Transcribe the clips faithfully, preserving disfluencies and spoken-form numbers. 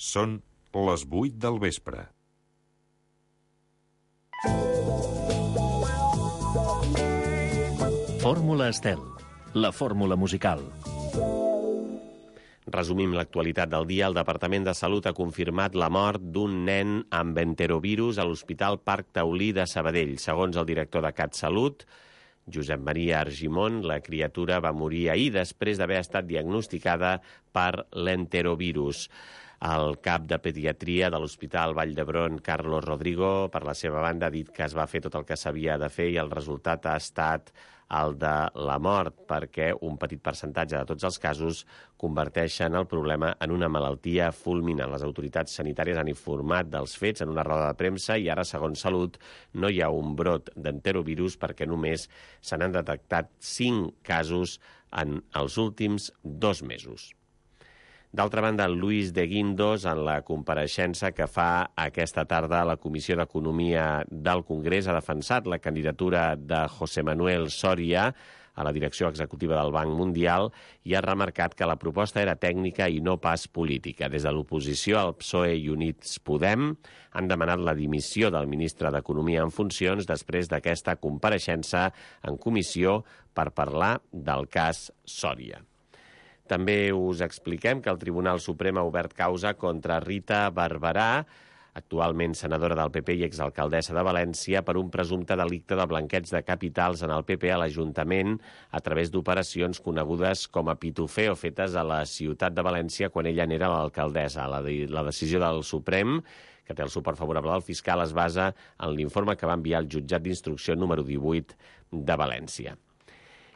Són les vuit del vespre. Fórmula Estel, la fórmula musical. Resumim l'actualitat del dia. El Departament de Salut ha confirmat la mort d'un nen amb enterovirus a l'Hospital Parc Taulí de Sabadell. Segons el director de CatSalut, Josep Maria Argimon, la criatura va morir ahir després d'haver estat diagnosticada per l'enterovirus. El cap de pediatria de l'Hospital Vall d'Hebron, Carlos Rodrigo, per la seva banda, ha dit que es va fer tot el que s'havia de fer i el resultat ha estat el de la mort, perquè un petit percentatge de tots els casos converteixen el problema en una malaltia fulminant. Les autoritats sanitàries han informat dels fets en una roda de premsa i ara, segons Salut, no hi ha un brot d'enterovirus perquè només se n'han detectat cinc casos en els últims dos mesos. D'altra banda, Luis de Guindos, en la compareixença que fa aquesta tarda a la Comissió d'Economia del Congrés, ha defensat la candidatura de José Manuel Soria a la direcció executiva del Banc Mundial i ha remarcat que la proposta era tècnica i no pas política. Des de l'oposició, el P S O E i Units Podem han demanat la dimissió del ministre d'Economia en funcions després d'aquesta compareixença en comissió per parlar del cas Soria. També us expliquem que el Tribunal Suprem ha obert causa contra Rita Barberà, actualment senadora del P P i exalcaldessa de València, per un presumpte delicte de blanqueig de capitals en el P P a l'Ajuntament a través d'operacions conegudes com a pitufeo fetes a la ciutat de València quan ella n'era l'alcaldessa. La, de, la decisió del Suprem, que té el suport favorable del fiscal, es basa en l'informe que va enviar el jutjat d'instrucció número divuit de València.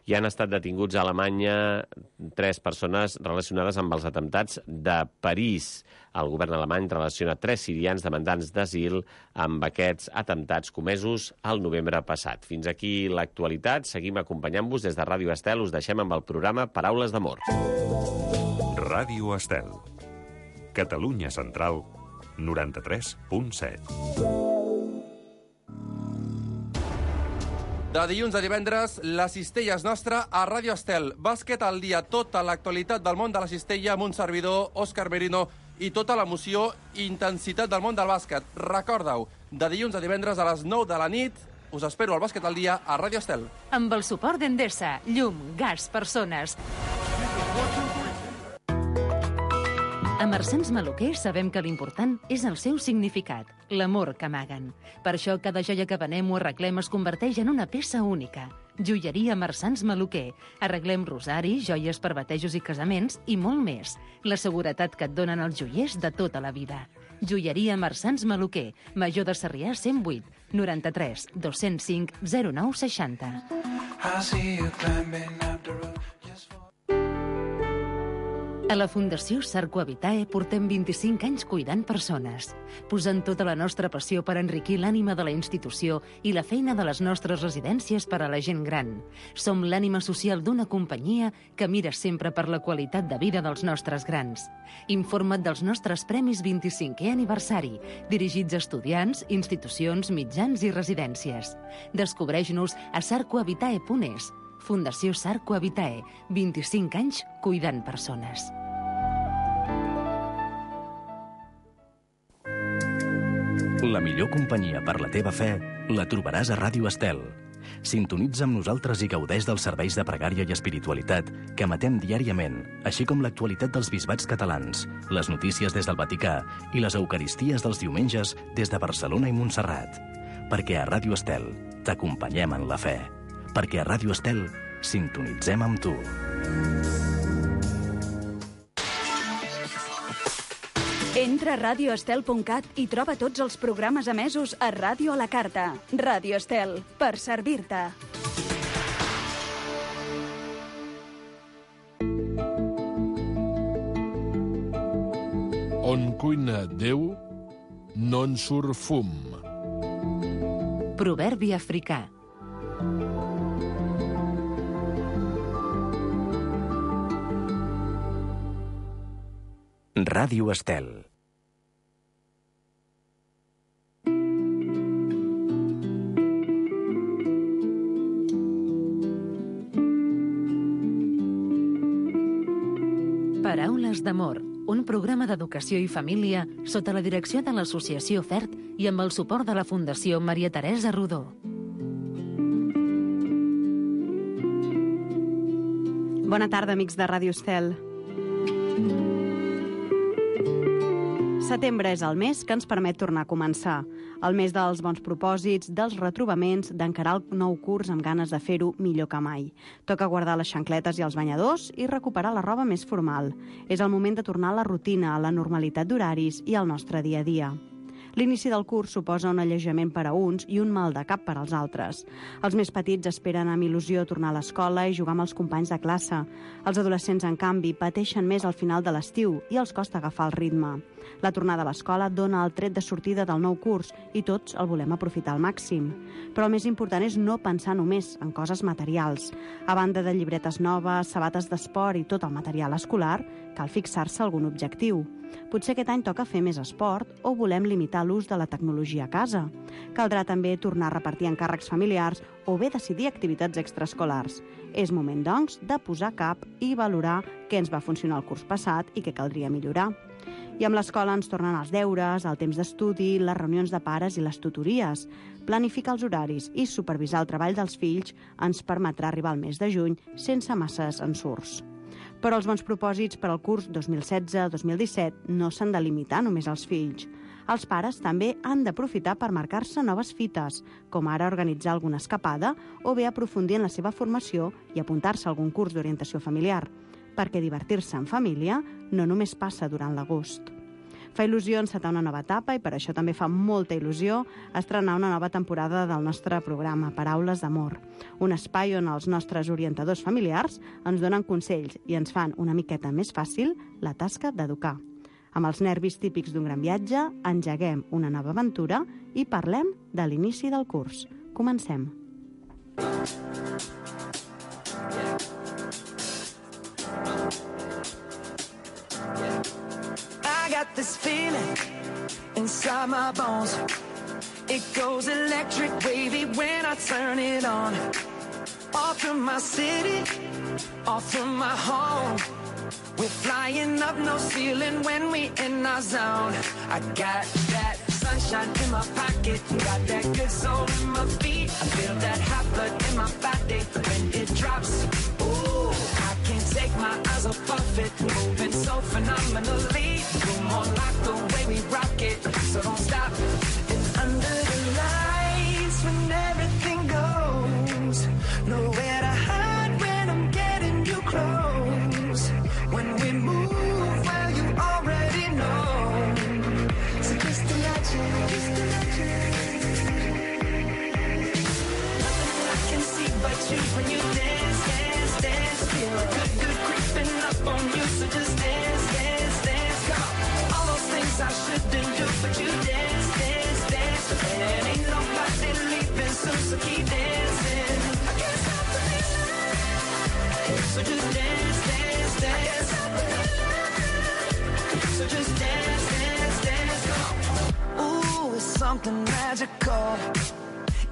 Hi han estat detinguts a Alemanya tres persones relacionades amb els atemptats de París. El govern alemany relaciona tres sirians demandants d'asil amb aquests atemptats comesos el novembre passat. Fins aquí l'actualitat. Seguim acompanyant-vos des de Ràdio Estel. Us deixem amb el programa Paraules d'Amor. Ràdio Estel. Catalunya Central, noranta-tres punt set. De dilluns a divendres, la cistella és nostra a Ràdio Estel. Bàsquet al dia, tota l'actualitat del món de la cistella amb un servidor, Òscar Merino, i tota l'emoció i intensitat del món del bàsquet. Recorda-ho, de dilluns a divendres a les nou de la nit, us espero al Bàsquet al dia a Ràdio Estel. Amb el suport d'Endesa, llum, gas, persones. A Marsans Maluquer sabem que l'important és el seu significat, l'amor que amaguen. Per això cada joia que venem o arreglem es converteix en una peça única. Joieria Marsans Maluquer. Arreglem rosari, joies per batejos i casaments i molt més. La seguretat que et donen els joiers de tota la vida. Joieria Marsans Maluquer. Major de Sarrià cent vuit, noranta-tres, dos-cents cinc, zero nou seixanta. A la Fundació Sarco Habitae portem vint-i-cinc anys cuidant persones, posant tota la nostra passió per enriquir l'ànima de la institució i la feina de les nostres residències per a la gent gran. Som l'ànima social d'una companyia que mira sempre per la qualitat de vida dels nostres grans. Informa't dels nostres premis vint-i-cinquè aniversari, dirigits a estudiants, institucions, mitjans i residències. Descobreix-nos a sarco habitae punt es. Fundació Sarco Habitae, vint-i-cinc anys cuidant persones. La millor companyia per la teva fe la trobaràs a Ràdio Estel. Sintonitza amb nosaltres i gaudeix dels serveis de pregària i espiritualitat que emetem diàriament, així com l'actualitat dels bisbats catalans, les notícies des del Vaticà i les eucaristies dels diumenges des de Barcelona i Montserrat. Perquè a Ràdio Estel t'acompanyem en la fe. Perquè a Ràdio Estel sintonitzem amb tu. Entra a ràdio estel punt cat i troba tots els programes emesos a Ràdio a la Carta. Ràdio Estel, per servir-te. On cuina Déu, no en surt fum. Proverbi africà. Ràdio Estel. Paraules d'amor, un programa d'educació i família sota la direcció de l'Associació FERT i amb el suport de la Fundació Maria Teresa Rodó. Bona tarda, amics de Ràdio Estel. Setembre és el mes que ens permet tornar a començar. El mes dels bons propòsits, dels retrobaments, d'encarar el nou curs amb ganes de fer-ho millor que mai. Toca guardar les xancletes i els banyadors i recuperar la roba més formal. És el moment de tornar a la rutina, a la normalitat d'horaris i al nostre dia a dia. L'inici del curs suposa un alleujament per a uns i un mal de cap per als altres. Els més petits esperen amb il·lusió tornar a l'escola i jugar amb els companys de classe. Els adolescents, en canvi, pateixen més al final de l'estiu i els costa agafar el ritme. La tornada a l'escola dona el tret de sortida del nou curs i tots el volem aprofitar al màxim. Però el més important és no pensar només en coses materials. A banda de llibretes noves, sabates d'esport i tot el material escolar, cal fixar-se algun objectiu. Potser aquest any toca fer més esport o volem limitar l'ús de la tecnologia a casa. Caldrà també tornar a repartir encàrrecs familiars o bé decidir activitats extraescolars. És moment, doncs, de posar cap i valorar què ens va funcionar el curs passat i què caldria millorar. I amb l'escola ens tornen els deures, el temps d'estudi, les reunions de pares i les tutories. Planificar els horaris i supervisar el treball dels fills ens permetrà arribar al mes de juny sense masses ensurts. Però els bons propòsits per al curs dos mil setze dos mil disset no s'han de limitar només als fills. Els pares també han d'aprofitar per marcar-se noves fites, com ara organitzar alguna escapada o bé aprofundir en la seva formació i apuntar-se a algun curs d'orientació familiar, perquè divertir-se en família no només passa durant l'agost. Fa il·lusió encetar una nova etapa i per això també fa molta il·lusió estrenar una nova temporada del nostre programa, Paraules d'Amor, un espai on els nostres orientadors familiars ens donen consells i ens fan una miqueta més fàcil la tasca d'educar. Amb els nervis típics d'un gran viatge, engeguem una nova aventura i parlem de l'inici del curs. Comencem. I got this feeling inside my bones. It goes electric wavy when I turn it on. Off from my city, off from my home. We're flying up no ceiling when we in our zone. I got that sunshine in my pocket, got that good soul in my feet. I feel that hot blood in my body when it drops. Ooh, I can't take my eyes off of it, moving so phenomenally. Come on, like the way we rock it, so don't stop. And under the lights when everything goes, nowhere to hide when I'm getting you close. When we move, well, you already know. So just imagine, just imagine. Nothing I can see but you when you dance, dance, dance. Feel the good, good creeping up on you. So just dance, dance, dance. Come on. All those things I shouldn't do, but you dance, dance, dance. And ain't nobody leaving soon, so keep dancing. I can't stop the feeling. So just dance, dance, dance. So just dance, dance, dance. Ooh, it's something magical.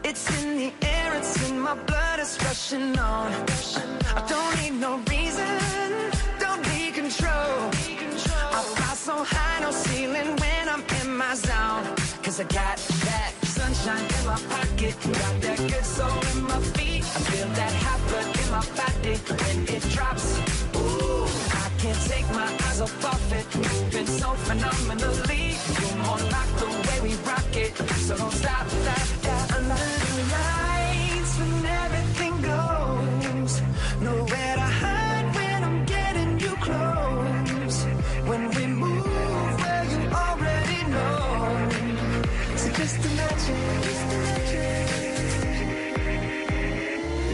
It's in the air, it's in my blood, it's rushing on. I don't need no reason, don't need control. I fly so high, no ceiling when I'm in my zone. Cause I got that sunshine in my pocket, got that good soul in my feet. I feel that hot blood in my body when it drops. Ooh, I can't take my eyes off of it, moving so phenomenally. You're more like the way we rock it, so don't stop, stop, stop. Under the lights when everything goes, nowhere to hide when I'm getting you close. When we move, well, you already know. So just imagine, just imagine.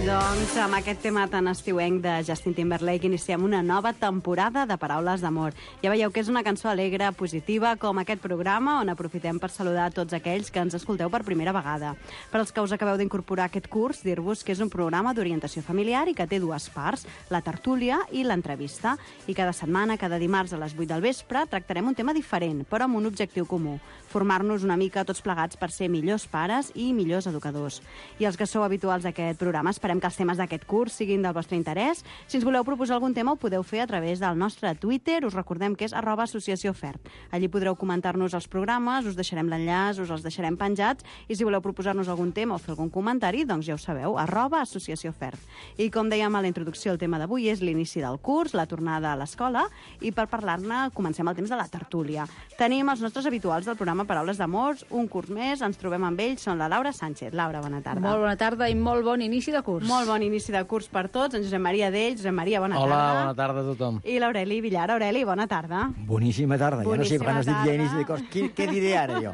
Doncs amb aquest tema tan estiuenc de Justin Timberlake iniciem una nova temporada de Paraules d'Amor. Ja veieu que és una cançó alegre, positiva, com aquest programa, on aprofitem per saludar a tots aquells que ens escolteu per primera vegada. Per als que us acabeu d'incorporar a aquest curs, dir-vos que és un programa d'orientació familiar i que té dues parts, la tertúlia i l'entrevista. I cada setmana, cada dimarts a les vuit del vespre, tractarem un tema diferent, però amb un objectiu comú, formar-nos una mica tots plegats per ser millors pares i millors educadors. I els que sou habituals d'aquest programa esperem que els temes d'aquest curs siguin del vostre interès. Si ens voleu proposar algun tema, ho podeu fer a través del nostre Twitter. Us recordem que és arroba associació F E R T. Allí podreu comentar-nos els programes, us deixarem l'enllaç, us els deixarem penjats, i si voleu proposar-nos algun tema o fer algun comentari, doncs ja ho sabeu, arroba associació F E R T. I com dèiem a la introducció, el tema d'avui és l'inici del curs, la tornada a l'escola, i per parlar-ne comencem el temps de la tertúlia. Tenim els nostres habituals del programa Paraules d'Amors, un curs més, ens trobem amb ells, són la Laura Sánchez. Laura, bona tarda. Molt bona tarda i molt bon inici de curs. Molt bon inici de curs per tots. En Josep Maria Dell. Josep Maria, bona Hola, tarda. bona tarda a tothom. I l'Aureli Villar. Aureli, bona tarda. Boníssima tarda. Boníssima ja no sé, quan has dit ja inici de cos, què, què diré ara jo?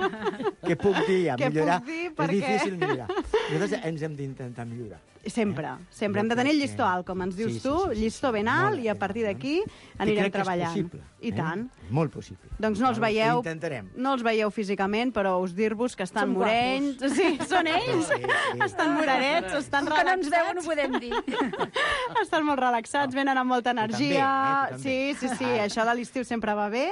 Què puc dir? A Què millorar? puc dir? És Per què? difícil millorar. Nosaltres ens hem d'intentar millorar. Sempre, Eh? sempre. Hem de tenir el llistó alt, com ens dius Sí, sí, tu, sí, sí, llistó ben alt, i a partir d'aquí anirem crec que és treballant. possible, I eh? tant. Molt possible. Doncs no els Ho veieu, intentarem. no els veieu físicament, però us dir-vos que estan Són morenys. Sí, són ells. Sí, sí. Estan morenets, estan Com que no ens veuen, ho relaxats. podem dir. Estan molt relaxats, venen amb molta energia. també, eh? Tu Sí, també. sí, sí, això de l'estiu sempre va bé,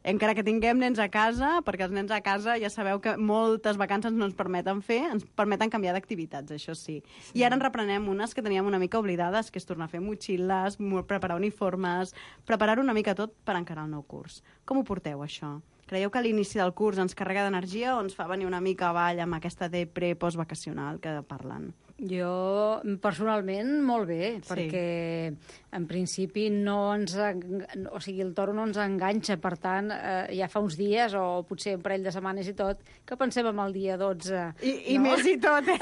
encara que tinguem nens a casa, perquè els nens a casa ja sabeu que moltes vacances no ens permeten fer, ens permeten canviar d'activitats, això sí. I ara en reprenem unes que teníem una mica oblidades, que és tornar a fer motxilles, mo- preparar uniformes, preparar una mica tot per encarar el nou curs. Com ho porteu, això? Creieu que l'inici del curs ens carrega d'energia o ens fa venir una mica avall amb aquesta depre postvacacional que parlen? Jo, personalment, molt bé, Sí. perquè en principi no ens... en- O sigui, el toro no ens enganxa, per tant, eh, ja fa uns dies, o potser un parell de setmanes i tot, que pensem en el dia dotze. I, i més i tot, eh?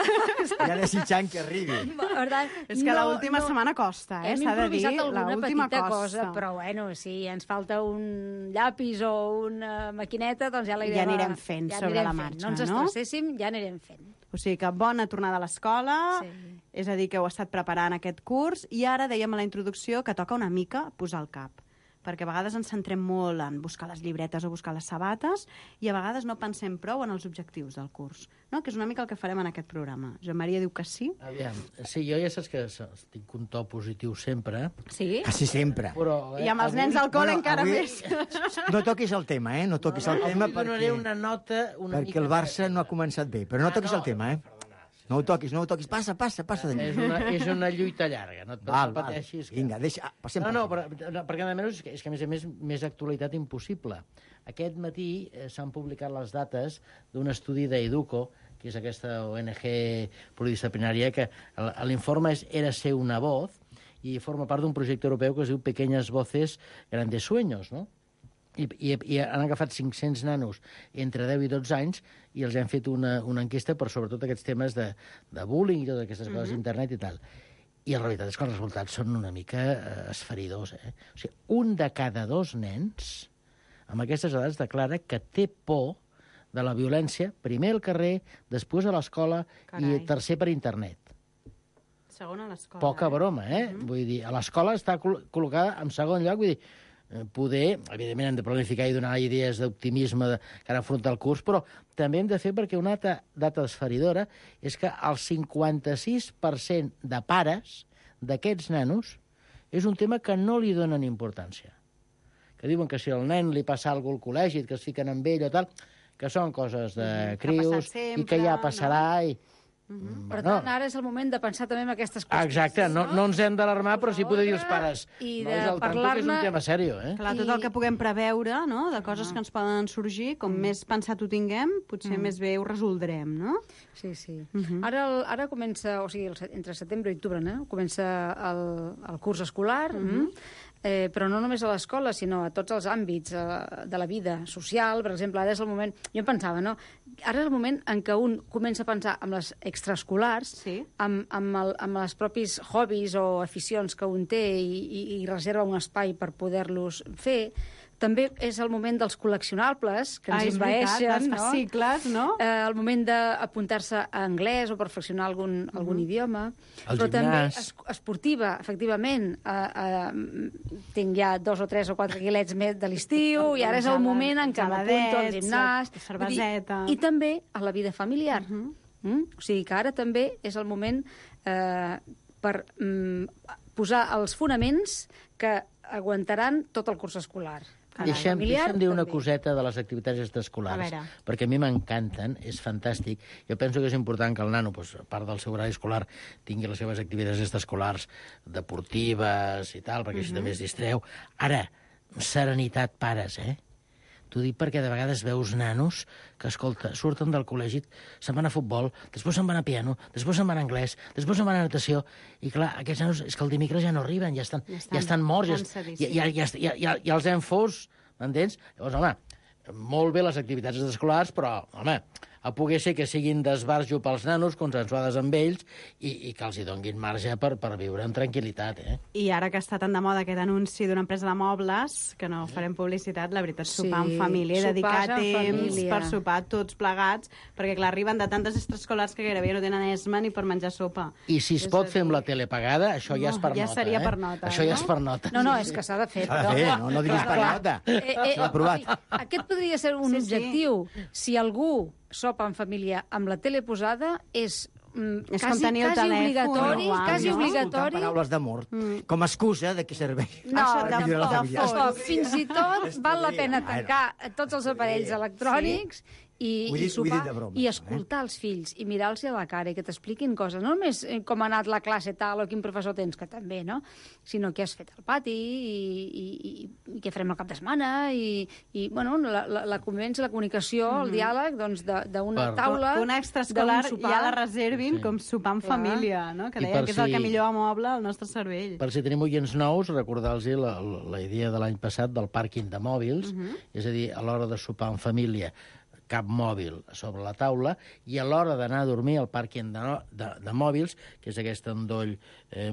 Ja desitjant que arribi. Per tant, És que l'última setmana costa, eh? Hem S'ha de dir, improvisat alguna l'última petita costa. cosa, però bueno, si ens falta un llapis o una maquineta, doncs ja la Ja irem, anirem a- fent ja sobre anirem la fent. marxa, No ens no? estresséssim, ja anirem fent. O sigui que bona tornada a l'escola, Sí. és a dir, que heu estat preparant aquest curs, i ara dèiem a la introducció que toca una mica posar el cap, perquè a vegades ens centrem molt en buscar les llibretes o buscar les sabates, i a vegades no pensem prou en els objectius del curs, no? Que és una mica el que farem en aquest programa. Joan Maria diu que sí. Aviam, sí, jo ja saps que estic un to positiu sempre, Sí? Quasi sempre. però... I amb els avui- nens al col·le Bueno, encara avui- més. No toquis el tema, eh? No toquis el tema Avui donaré perquè, una nota una perquè mica... el Barça no ha començat bé. Però no Ah, toquis no. el tema, eh? No ho toquis, no ho toquis. Passa, passa, passa d'allà. És una, és una lluita llarga, no et Val, val. pateixis. Que... Vinga, deixa... ah, passem No, per no, aquí. però, no, perquè a més, és que, és que a més a més, més actualitat impossible. Aquest matí eh, s'han publicat les dates d'un estudi d'Educo, que és aquesta O N G pluridisciplinària, que l- l'informe és Era ser una voz, i forma part d'un projecte europeu que es diu Pequeñas Voces, Grandes Sueños, no? I, i, i han agafat cinc-cents nanos entre deu i dotze anys i els han fet una, una enquesta per sobretot aquests temes de, de bullying i totes aquestes coses d'internet i tal. I la veritat és que els resultats són una mica eh, esferidors. Eh? O sigui, un de cada dos nens amb aquestes edats declara que té por de la violència, primer al carrer, després a l'escola i Carai. tercer per internet. Segona a l'escola. Poca broma, eh? Mhm. Vull dir, a l'escola està col- col·locada en segon lloc, vull dir, eh, poder, evidentment hem de planificar i donar idees d'optimisme de cara a afrontar el curs, però també hem de fer perquè una altra data esferidora és que el cinquanta-sis per cent de pares d'aquests nanos és un tema que no li donen importància. Que diuen que si al nen li passa alguna cosa al col·legi, que es fiquen amb ell o tal, que són coses de Mhm, que ha crios passat sempre, i que ja passarà i... Mhm. Per No. tant, ara és el moment de pensar també en aquestes qüestions. Exacte, no, no ens hem d'alarmar, però sí poder dir als pares I nois, de al tanto, que és un parlar-ne- tema seriós, eh? Clar, tot el que puguem preveure, no?, de coses que ens poden sorgir, com més pensat ho tinguem, potser més bé ho resoldrem, no? Sí, sí. Mhm. Ara, el, ara comença, o sigui, el, se- entre setembre i octubre, no? Comença el, el curs escolar, mm eh, però no només a l'escola, sinó a tots els àmbits eh, de la vida social. Per exemple, ara és el moment... Jo em pensava, no? Ara és el moment en què un comença a pensar en les extraescolars, Sí. amb, amb, el, amb els propis hobbies o aficions que un té i, i, i reserva un espai per poder-los fer. També és el moment dels col·leccionables, que ens Ah, és veritat, envaeixen, dels no? fascicles, no? Eh, el moment d'apuntar-se a anglès o perfeccionar algun, algun idioma. El Però també gimnàs. es, esportiva, efectivament. Eh, eh, tinc ja dos o tres o quatre quilets més de l'estiu i ara és el moment en què m'apunto al geladets, gimnàs. cerveseta. Vull dir, I també a la vida familiar. mm? O sigui que ara també és el moment eh, per mm, posar els fonaments que aguantaran tot el curs escolar. Deixem, familiar, deixem dir una també. coseta de les activitats A extraescolars, veure. perquè a mi m'encanten, és fantàstic. Jo penso que és important que el nano, doncs, a part del seu horari escolar, tingui les seves activitats extraescolars deportives i tal, perquè així Mhm. també es distreu. Ara, serenitat, pares, eh? T'ho dic perquè de vegades veus nanos que, escolta, surten del col·legi, se'n van a futbol, després se'n van a piano, després se'n van a anglès, després se'n van a natació, i clar, aquests nanos, és que el dimecres ja no arriben, ja estan, ja estan, ja estan morts, ja, ja, ja, ja, ja, ja, ja els hem fos, m'entens? Llavors, home, molt bé les activitats escolars, però, home, a poder ser que siguin d'esbarjo pels nanos, consensuades amb ells, i, i que els hi donguin marge per, per viure amb tranquil·litat, eh? I ara que està tan de moda aquest anunci d'una empresa de mobles, que no farem publicitat, la veritat, sopar Sí, en família, sopars dedicar en temps família. per sopar tots plegats, perquè, clar, arriben de tantes extraescolars que gairebé no tenen esma ni per menjar sopa. I si es És pot a fer amb dir- la tele pagada, això ja és per ja nota, seria eh? per nota, Això ja no? és per nota. No, no, és que s'ha de fer. S'ha de fer, no, no diguis per nota. Eh, eh, S'ha aprovat. o sigui, aquest podria ser un Sí, sí. objectiu. Si algú sopa en família amb la tele posada, és, mm, És com quasi, tenir el quasi telèfon obligatori, igual, quasi no? obligatori. Paraules d'amor, com a excusa de què serveix. No, Això, Per millorar la tampoc, família. tampoc. Fins i tot val la pena tancar tots els aparells electrònics i, Ho he i dit- ho he dit sopar de broma, i això, escoltar els fills i mirar-los a la cara i que t'expliquin coses. No només eh, com ha anat la classe tal o quin professor tens, que també, no? Sinó què has fet al pati i, i, i, i què farem el cap de setmana i, i bueno, la, la, la convivència, la comunicació, el diàleg doncs, de- d'una Per- taula, Que una extraescolar d'un sopar. ja la reservin Sí. com sopar en Clar. família, no? Que I deien per que és el si- que millor amoble el nostre cervell. Per si tenim oients nous, recordar-los la, la, la idea de l'any passat del pàrquing de mòbils, és a dir, a l'hora de sopar en família, cap mòbil sobre la taula, i a l'hora d'anar a dormir al pàrquing de, no- de, de mòbils, que és aquest endoll eh,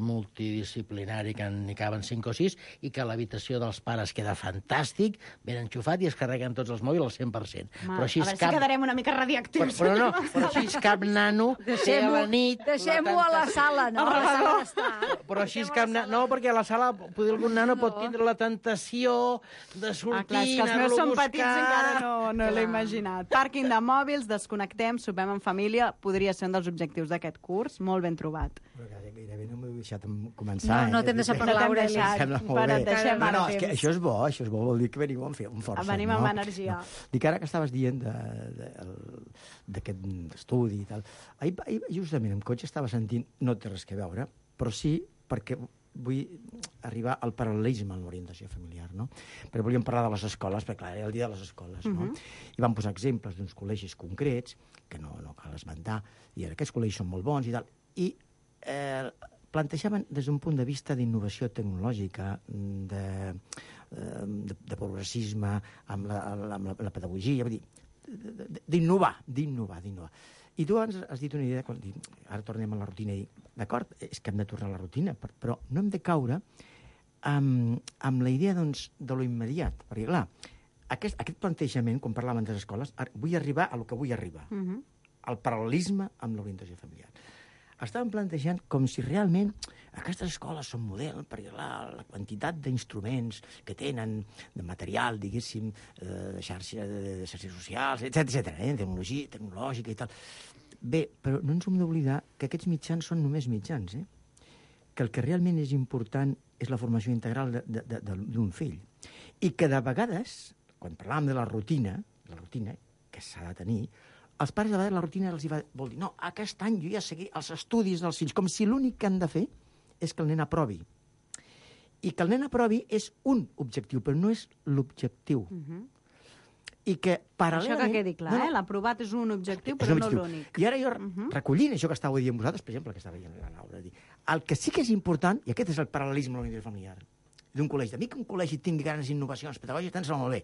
multidisciplinari que n'hi caben cinc o sis, i que l'habitació dels pares queda fantàstic, ben enxufat, i es carreguen tots els mòbils al cent per cent. Home, Però així a veure cap... si quedarem una mica Però, radioactius. però no, però així cap nano té a Deixem-ho la nit... deixem-ho a la sala, no? Al A la sala rebedor. d'estar. Però així cap nano... No, perquè a la sala potser algun nano pot tindre la tentació de sortir, Ah, clar, és que els meus anar-lo a són buscar... petits encara no, no l'he imaginat. Pàrquing de mòbils, desconnectem, sopem en família, podria ser un dels objectius d'aquest curs, molt ben trobat. Però que gairebé no m'ho he deixat començar. No, no eh? t'hem deixat No parlar, t'hem Aureli. deixat, Sembla molt però bé. et deixem no, ara no, és que temps. això és bo, això és bo, vol dir que veniu amb, amb força. Venim no? amb energia. No. Dic, ara que estaves dient de- de- el- d'aquest estudi i tal, ahir, ahir justament en cotxe estava sentint, no té res que veure, però sí perquè vull arribar al paral·lelisme en l'orientació familiar, no? Perquè volíem parlar de les escoles, perquè clar, era el dia de les escoles, no? I vam posar exemples d'uns col·legis concrets, que no, no cal esmentar, i aquests col·legis són molt bons i tal, i eh, plantejaven des d'un punt de vista d'innovació tecnològica, de, eh, de, de progressisme, amb la, amb la, la pedagogia, vull dir, d'innovar, d'innovar, d'innovar. I tu has, has dit una idea, quan dic, ara tornem a la rutina, i dic, d'acord, és que hem de tornar a la rutina, per- però no hem de caure amb, amb la idea doncs, de lo immediat, perquè clar, aquest, aquest plantejament, quan parlàvem de les escoles, ar- vull arribar a lo que vull arribar, Uh -huh. al paral·lelisme amb l'orientació familiar. Estàvem plantejant com si realment aquestes escoles són model, perquè la, la quantitat d'instruments que tenen, de material, diguéssim, eh, de, xarxa, de, de xarxes socials, etcètera, etcètera, eh, tecnologia, tecnològica i tal. Bé, però no ens hem d'oblidar que aquests mitjans són només mitjans, eh? Que el que realment és important és la formació integral de- de- de- de- d'un fill. I que de vegades, quan parlàvem de la rutina, la rutina que s'ha de tenir, els pares de vegades la rutina els hi va, vol dir no, aquest any jo ja seguir els estudis dels fills, com si l'únic que han de fer és que el nen aprovi. I que el nen aprovi és un objectiu, però no és l'objectiu. Uh -huh. I que Això paral·lelament... que quedi clar, No, no, eh? L'aprovat és un objectiu, és però un no objectiu. l'únic. I ara jo, Uh -huh. recollint això que estàveu dient vosaltres, per exemple, que estava dient la Laura, dir, el que sí que és important, i aquest és el paral·lelisme de l'unitat familiar, d'un col·legi, de mi que un col·legi tingui grans innovacions pedagògiques, tant se va molt bé.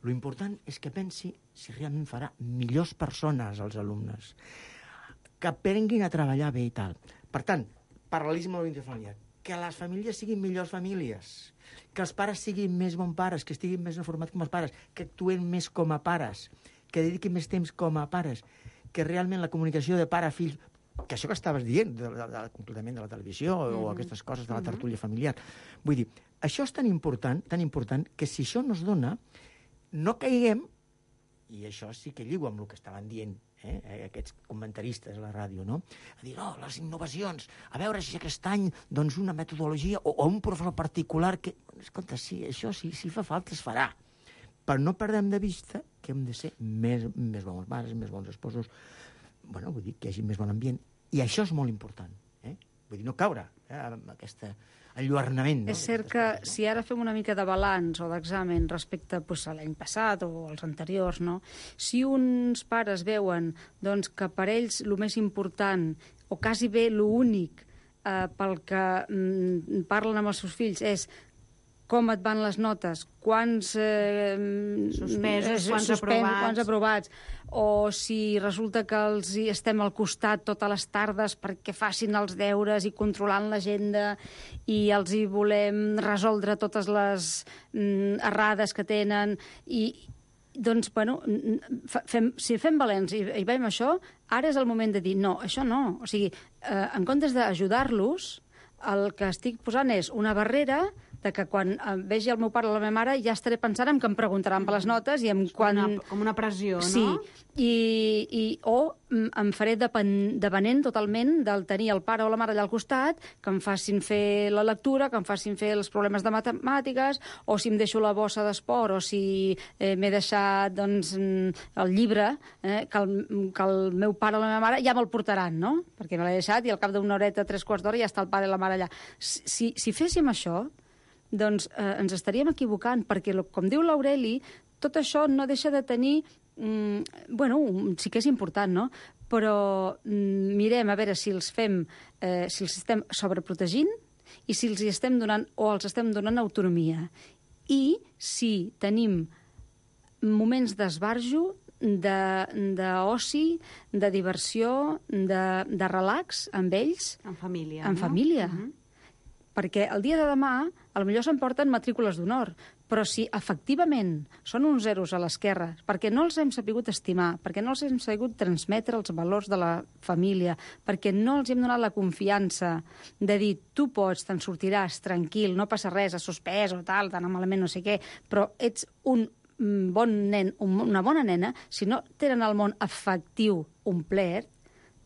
Lo important és que pensi si realment farà millors persones als alumnes, que aprenguin a treballar bé i tal. Per tant, paral·lelisme de l'unitat familiar, que les famílies siguin millors famílies, que els pares siguin més bons pares, que estiguin més informats com els pares, que actuen més com a pares, que dediquin més temps com a pares, que realment la comunicació de pare a fill, que això que estaves dient, de, de, de, completament de la televisió mm -hmm. o aquestes coses de la tertúlia familiar, vull dir, això és tan important, tan important, que si això no es dona, no caiguem, i això sí que lligo amb el que estaven dient eh, aquests comentaristes a la ràdio, no? A dir, no, les innovacions, a veure si aquest any doncs una metodologia o, o un professor particular que... Escolta, sí, això sí, si fa falta es farà. però no perdem de vista que hem de ser més, més bons mares, més bons esposos, bueno, vull dir, que hi hagi més bon ambient. I això és molt important, eh? Vull dir, no caure eh, amb aquest enlluernament. No? És cert que si ara fem una mica de balanç o d'examen respecte pues, a l'any passat o als anteriors, no? Si uns pares veuen doncs, que per ells el més important o quasi bé l'únic eh, pel que mm, parlen amb els seus fills és com et van les notes, quants eh, suspesos, quants, suspens, aprovats. quants aprovats, o si resulta que els hi estem al costat totes les tardes perquè facin els deures i controlant l'agenda i els hi volem resoldre totes les mm, errades que tenen i doncs, bueno, fem, si fem balanç i, i veiem això, ara és el moment de dir no, això no. O sigui, eh, en comptes d'ajudar-los, el que estic posant és una barrera de que quan vegi el meu pare o la meva mare ja estaré pensant en que em preguntaran per les notes i en quan... Una, com una pressió, sí. no? I, i, o em faré depen, depenent totalment del tenir el pare o la mare allà al costat, que em facin fer la lectura, que em facin fer els problemes de matemàtiques, o si em deixo la bossa d'esport, o si eh, m'he deixat doncs, el llibre, eh, que, el, que el meu pare o la meva mare ja me'l portaran, no? Perquè me l'he deixat i al cap d'una horeta, tres quarts d'hora, ja està el pare i la mare allà. Si, si féssim això, doncs eh, ens estaríem equivocant, perquè, com diu l'Aureli, tot això no deixa de tenir... Mm, bueno, sí que és important, no? Però mm, mirem a veure si els fem, eh, si els estem sobreprotegint i si els hi estem donant o els estem donant autonomia. I si tenim moments d'esbarjo, d'oci, de, de diversió, de, de relax amb ells. En família, En no? família. Uh-huh. Perquè el dia de demà, a lo millor s'emporten matrícules d'honor, però si efectivament són uns zeros a l'esquerra, perquè no els hem sabut estimar, perquè no els hem sabut transmetre els valors de la família, perquè no els hem donat la confiança de dir tu pots, te'n sortiràs tranquil, no passa res, has suspès o tal, tan malament no sé què, però ets un bon nen, una bona nena, si no tenen el món afectiu omplert,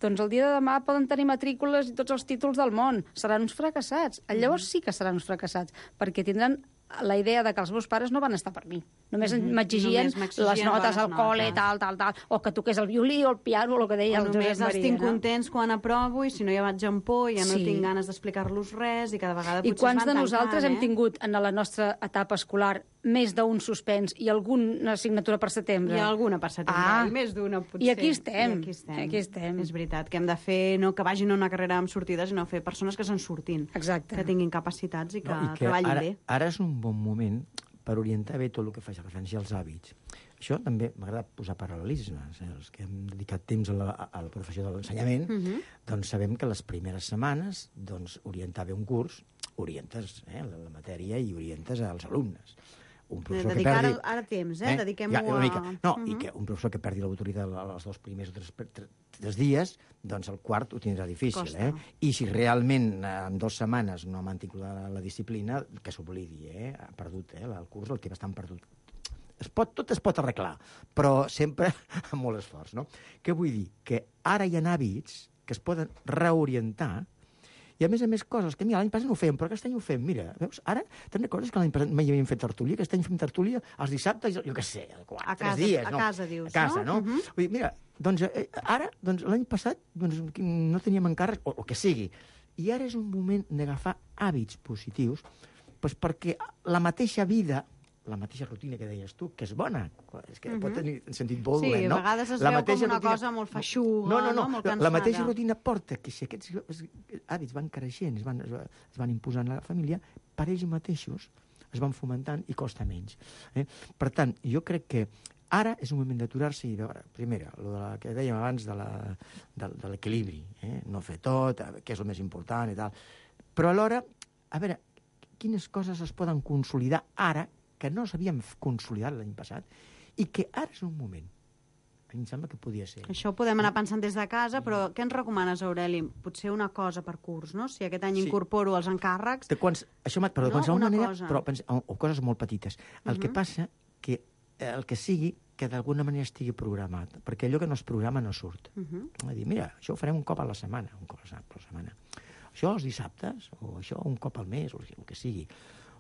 doncs el dia de demà poden tenir matrícules i tots els títols del món. Seran uns fracassats. Llavors sí que seran uns fracassats, perquè tindran la idea de que els meus pares no van estar per mi. Només Mhm. m'exigien Només m'exigien les notes bones al col·le, notes. tal, tal, tal, o que toqués el violí o el piano, o el que deia O el només Josep els Maria. tinc no? contents quan aprovo i si no ja vaig en por, ja no Sí. tinc ganes d'explicar-los res i cada vegada I potser quants es de van nosaltres tancant, hem tingut en la nostra etapa escolar més d'un suspens i alguna assignatura per setembre? Hi ha alguna per setembre, Ah. i més d'una, potser. I aquí estem. I aquí estem. Aquí estem. És veritat, que hem de fer, no que vagin a una carrera amb sortides, sinó fer persones que se'n surtin. Exacte. Que tinguin capacitats i que, No, i que treballin ara, bé. ara és un bon moment per orientar bé tot el que fa referència als hàbits. Això també m'agrada posar paral·lelismes. Eh? Els que hem dedicat temps a la, a la professió de l'ensenyament, uh -huh. doncs sabem que les primeres setmanes doncs, orientar bé un curs, orientes eh, la, la matèria i orientes als alumnes. Un professor que Dedicar perdi... ara temps, eh? Dediquem-ho ja, una mica. a... No, Uh -huh. i que un professor que perdi l'autoritat els dos primers o tres, tres, tres dies, doncs el quart ho tindrà difícil. Costa. Eh? I si realment eh, en dues setmanes no ha mantingut la, la disciplina, que s'oblidi, eh? Ha perdut eh? el curs, el té bastant perdut. Es pot, tot es pot arreglar, però sempre amb molt esforç, no? Què vull dir? Que ara hi ha hàbits que es poden reorientar i, a més a més, coses que, mira, l'any passat no ho fèiem, però aquest any ho fem. Mira, veus? Ara, te'n recordes que l'any passat mai havíem fet tertúlia? Aquest any fem tertúlia els dissabtes, jo què sé, quatre, A tres casa, dies. a no? casa, dius, A casa, no? no? Uh-huh. Vull dir, mira, doncs eh, ara, doncs, l'any passat, doncs, no teníem encàrrecs, o el que sigui. I ara és un moment d'agafar hàbits positius, doncs perquè la mateixa vida, la mateixa rutina que deies tu, que és bona, és que uh -huh. pot tenir un sentit molt Sí, dolent, no? a vegades es la veu com una rutina... cosa molt feixuga, no, no, no, no? Molt la, cansada. la mateixa rutina porta que si aquests hàbits van creixent, es van, es van imposant a la família, per ells mateixos es van fomentant i costa menys. Eh? Per tant, jo crec que ara és un moment d'aturar-se i veure, primera, el de la, que dèiem abans de la, de, de l'equilibri, eh? No fer tot, què és el més important i tal. Però alhora, a veure, quines coses es poden consolidar ara que no s'havien consolidat l'any passat i que ara és un moment. A mi em sembla que podia ser. Això ho podem anar pensant des de casa, però què ens recomanes, Aureli? Potser una cosa per curs, no? Si aquest any Sí. incorporo els encàrrecs... De quants, això, perdó, No, de qualsevol una manera, cosa. però, pensa, o, o coses molt petites. El Mhm. que passa que eh, el que sigui que d'alguna manera estigui programat, perquè allò que no es programa no surt. Uh -huh. A dir, mira, això ho farem un cop a la setmana, un cop a la setmana. Això els dissabtes, o això un cop al mes, o el que sigui.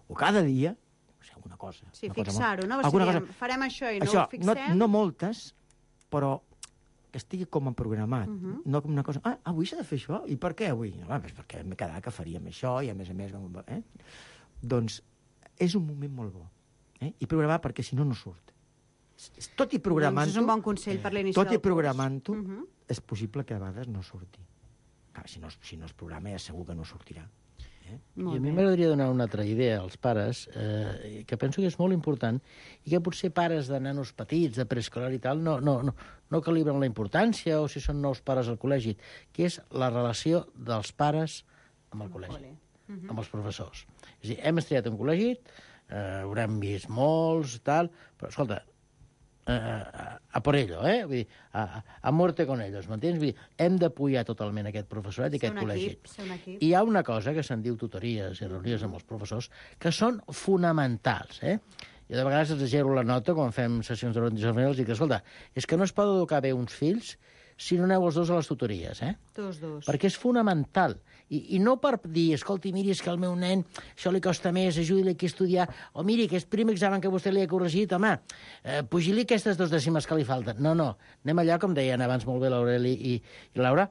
O cada dia, no sé, alguna cosa. Sí, una cosa fixar-ho, no? Alguna Seríem, cosa. farem això i no això, ho fixem. No, no moltes, però que estigui com a programat. Uh -huh. No com una cosa, ah, avui s'ha de fer això? I per què avui? No, doncs perquè m'he quedat que faríem això i, a més a més... Eh? Doncs és un moment molt bo. Eh? I programar perquè, si no, no surt. Tot i programant-ho... Doncs és un bon consell per l'inici Tot del i programant-ho, uh -huh. és possible que a vegades no surti. Clar, si no, si no es programa, ja segur que no sortirà. Eh? I a mi m'agradaria donar una altra idea als pares, eh, que penso que és molt important, i que potser pares de nanos petits, de preescolar i tal, no, no, no, no calibren la importància, o si són nous pares al col·legi, que és la relació dels pares amb el col·legi, amb els professors. És a dir, hem estudiat un col·legi, eh, haurem vist molts, tal, però, escolta, eh, a, a por ello, eh? Vull dir, a, a muerte con ellos, m'entens? Vull dir, hem d'apoyar totalment aquest professorat i aquest col·legi. Equip, ser un equip. I hi ha una cosa que se'n diu tutories i reunions amb els professors que són fonamentals, eh? Jo de vegades exagero la nota quan fem sessions d'orientació familiar, els dic, escolta, és que no es pot educar bé uns fills si no aneu els dos a les tutories, eh? Tots dos. Perquè és fonamental. I, I no per dir, escolti, miri, és que al meu nen això li costa més, ajudi-li aquí a estudiar, o miri, aquest primer examen que vostè li ha corregit, home, eh, pugi-li aquestes dues dècimes que li falten. No, no, anem allà, com deien abans molt bé l'Aureli i, i Laura,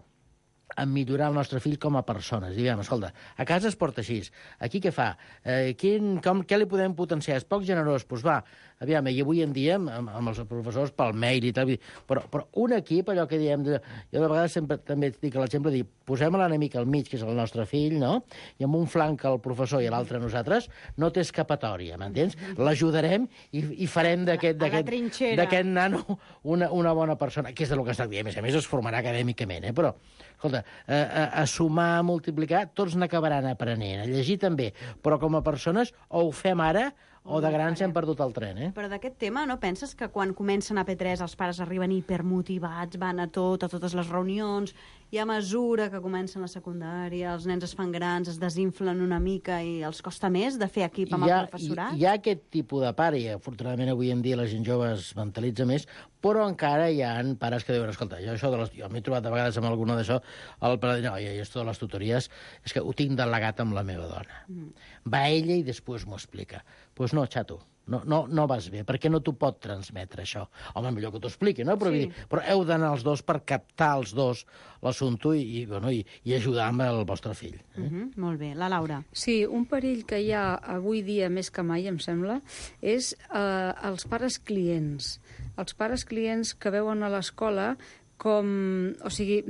a millorar el nostre fill com a persones. Diguem, escolta, a casa es porta així, aquí què fa? Eh, quin, com, què li podem potenciar? És poc generós? Doncs pues va, aviam, i avui en dia, amb, amb els professors pel mail i tal, però, però un equip, allò que diem, de, jo de vegades sempre també dic l'exemple, dir, posem l'enemic al mig, que és el nostre fill, no? I amb un flanc el professor i l'altre nosaltres, no té escapatòria, m'entens? L'ajudarem i, i farem d'aquest nano una, una bona persona, que és del que està dient. A més a més, es formarà acadèmicament, eh? Però, escolta, a, a, a sumar, a multiplicar, tots n'acabaran aprenent, a llegir també, però com a persones o ho fem ara o de grans hem perdut el tren, eh? Però d'aquest tema, no penses que quan comencen a P tres els pares arriben hipermotivats, van a tot, a totes les reunions, i a mesura que comencen la secundària, els nens es fan grans, es desinflen una mica i els costa més de fer equip amb ha, el professorat? Hi ha aquest tipus de pare, i afortunadament avui en dia la gent jove es mentalitza més, però encara hi ha pares que diuen, escolta, jo això de les... jo m'he trobat a vegades amb alguna d'això, el pare diu, no, jo això de les tutories és que ho tinc delegat amb la meva dona. Mm. Va ella i després m'ho explica. Doncs pues no, xato, no, no, no vas bé, perquè no t'ho pot transmetre, això. Home, millor que t'ho expliqui, no? Però, sí. dir, però heu d'anar els dos per captar els dos l'assumpte i, i, bueno, i, i ajudar amb el vostre fill. Eh? Uh -huh, molt bé. La Laura. Sí, un perill que hi ha avui dia més que mai, em sembla, és eh, els pares clients. Els pares clients que veuen a l'escola com... O sigui,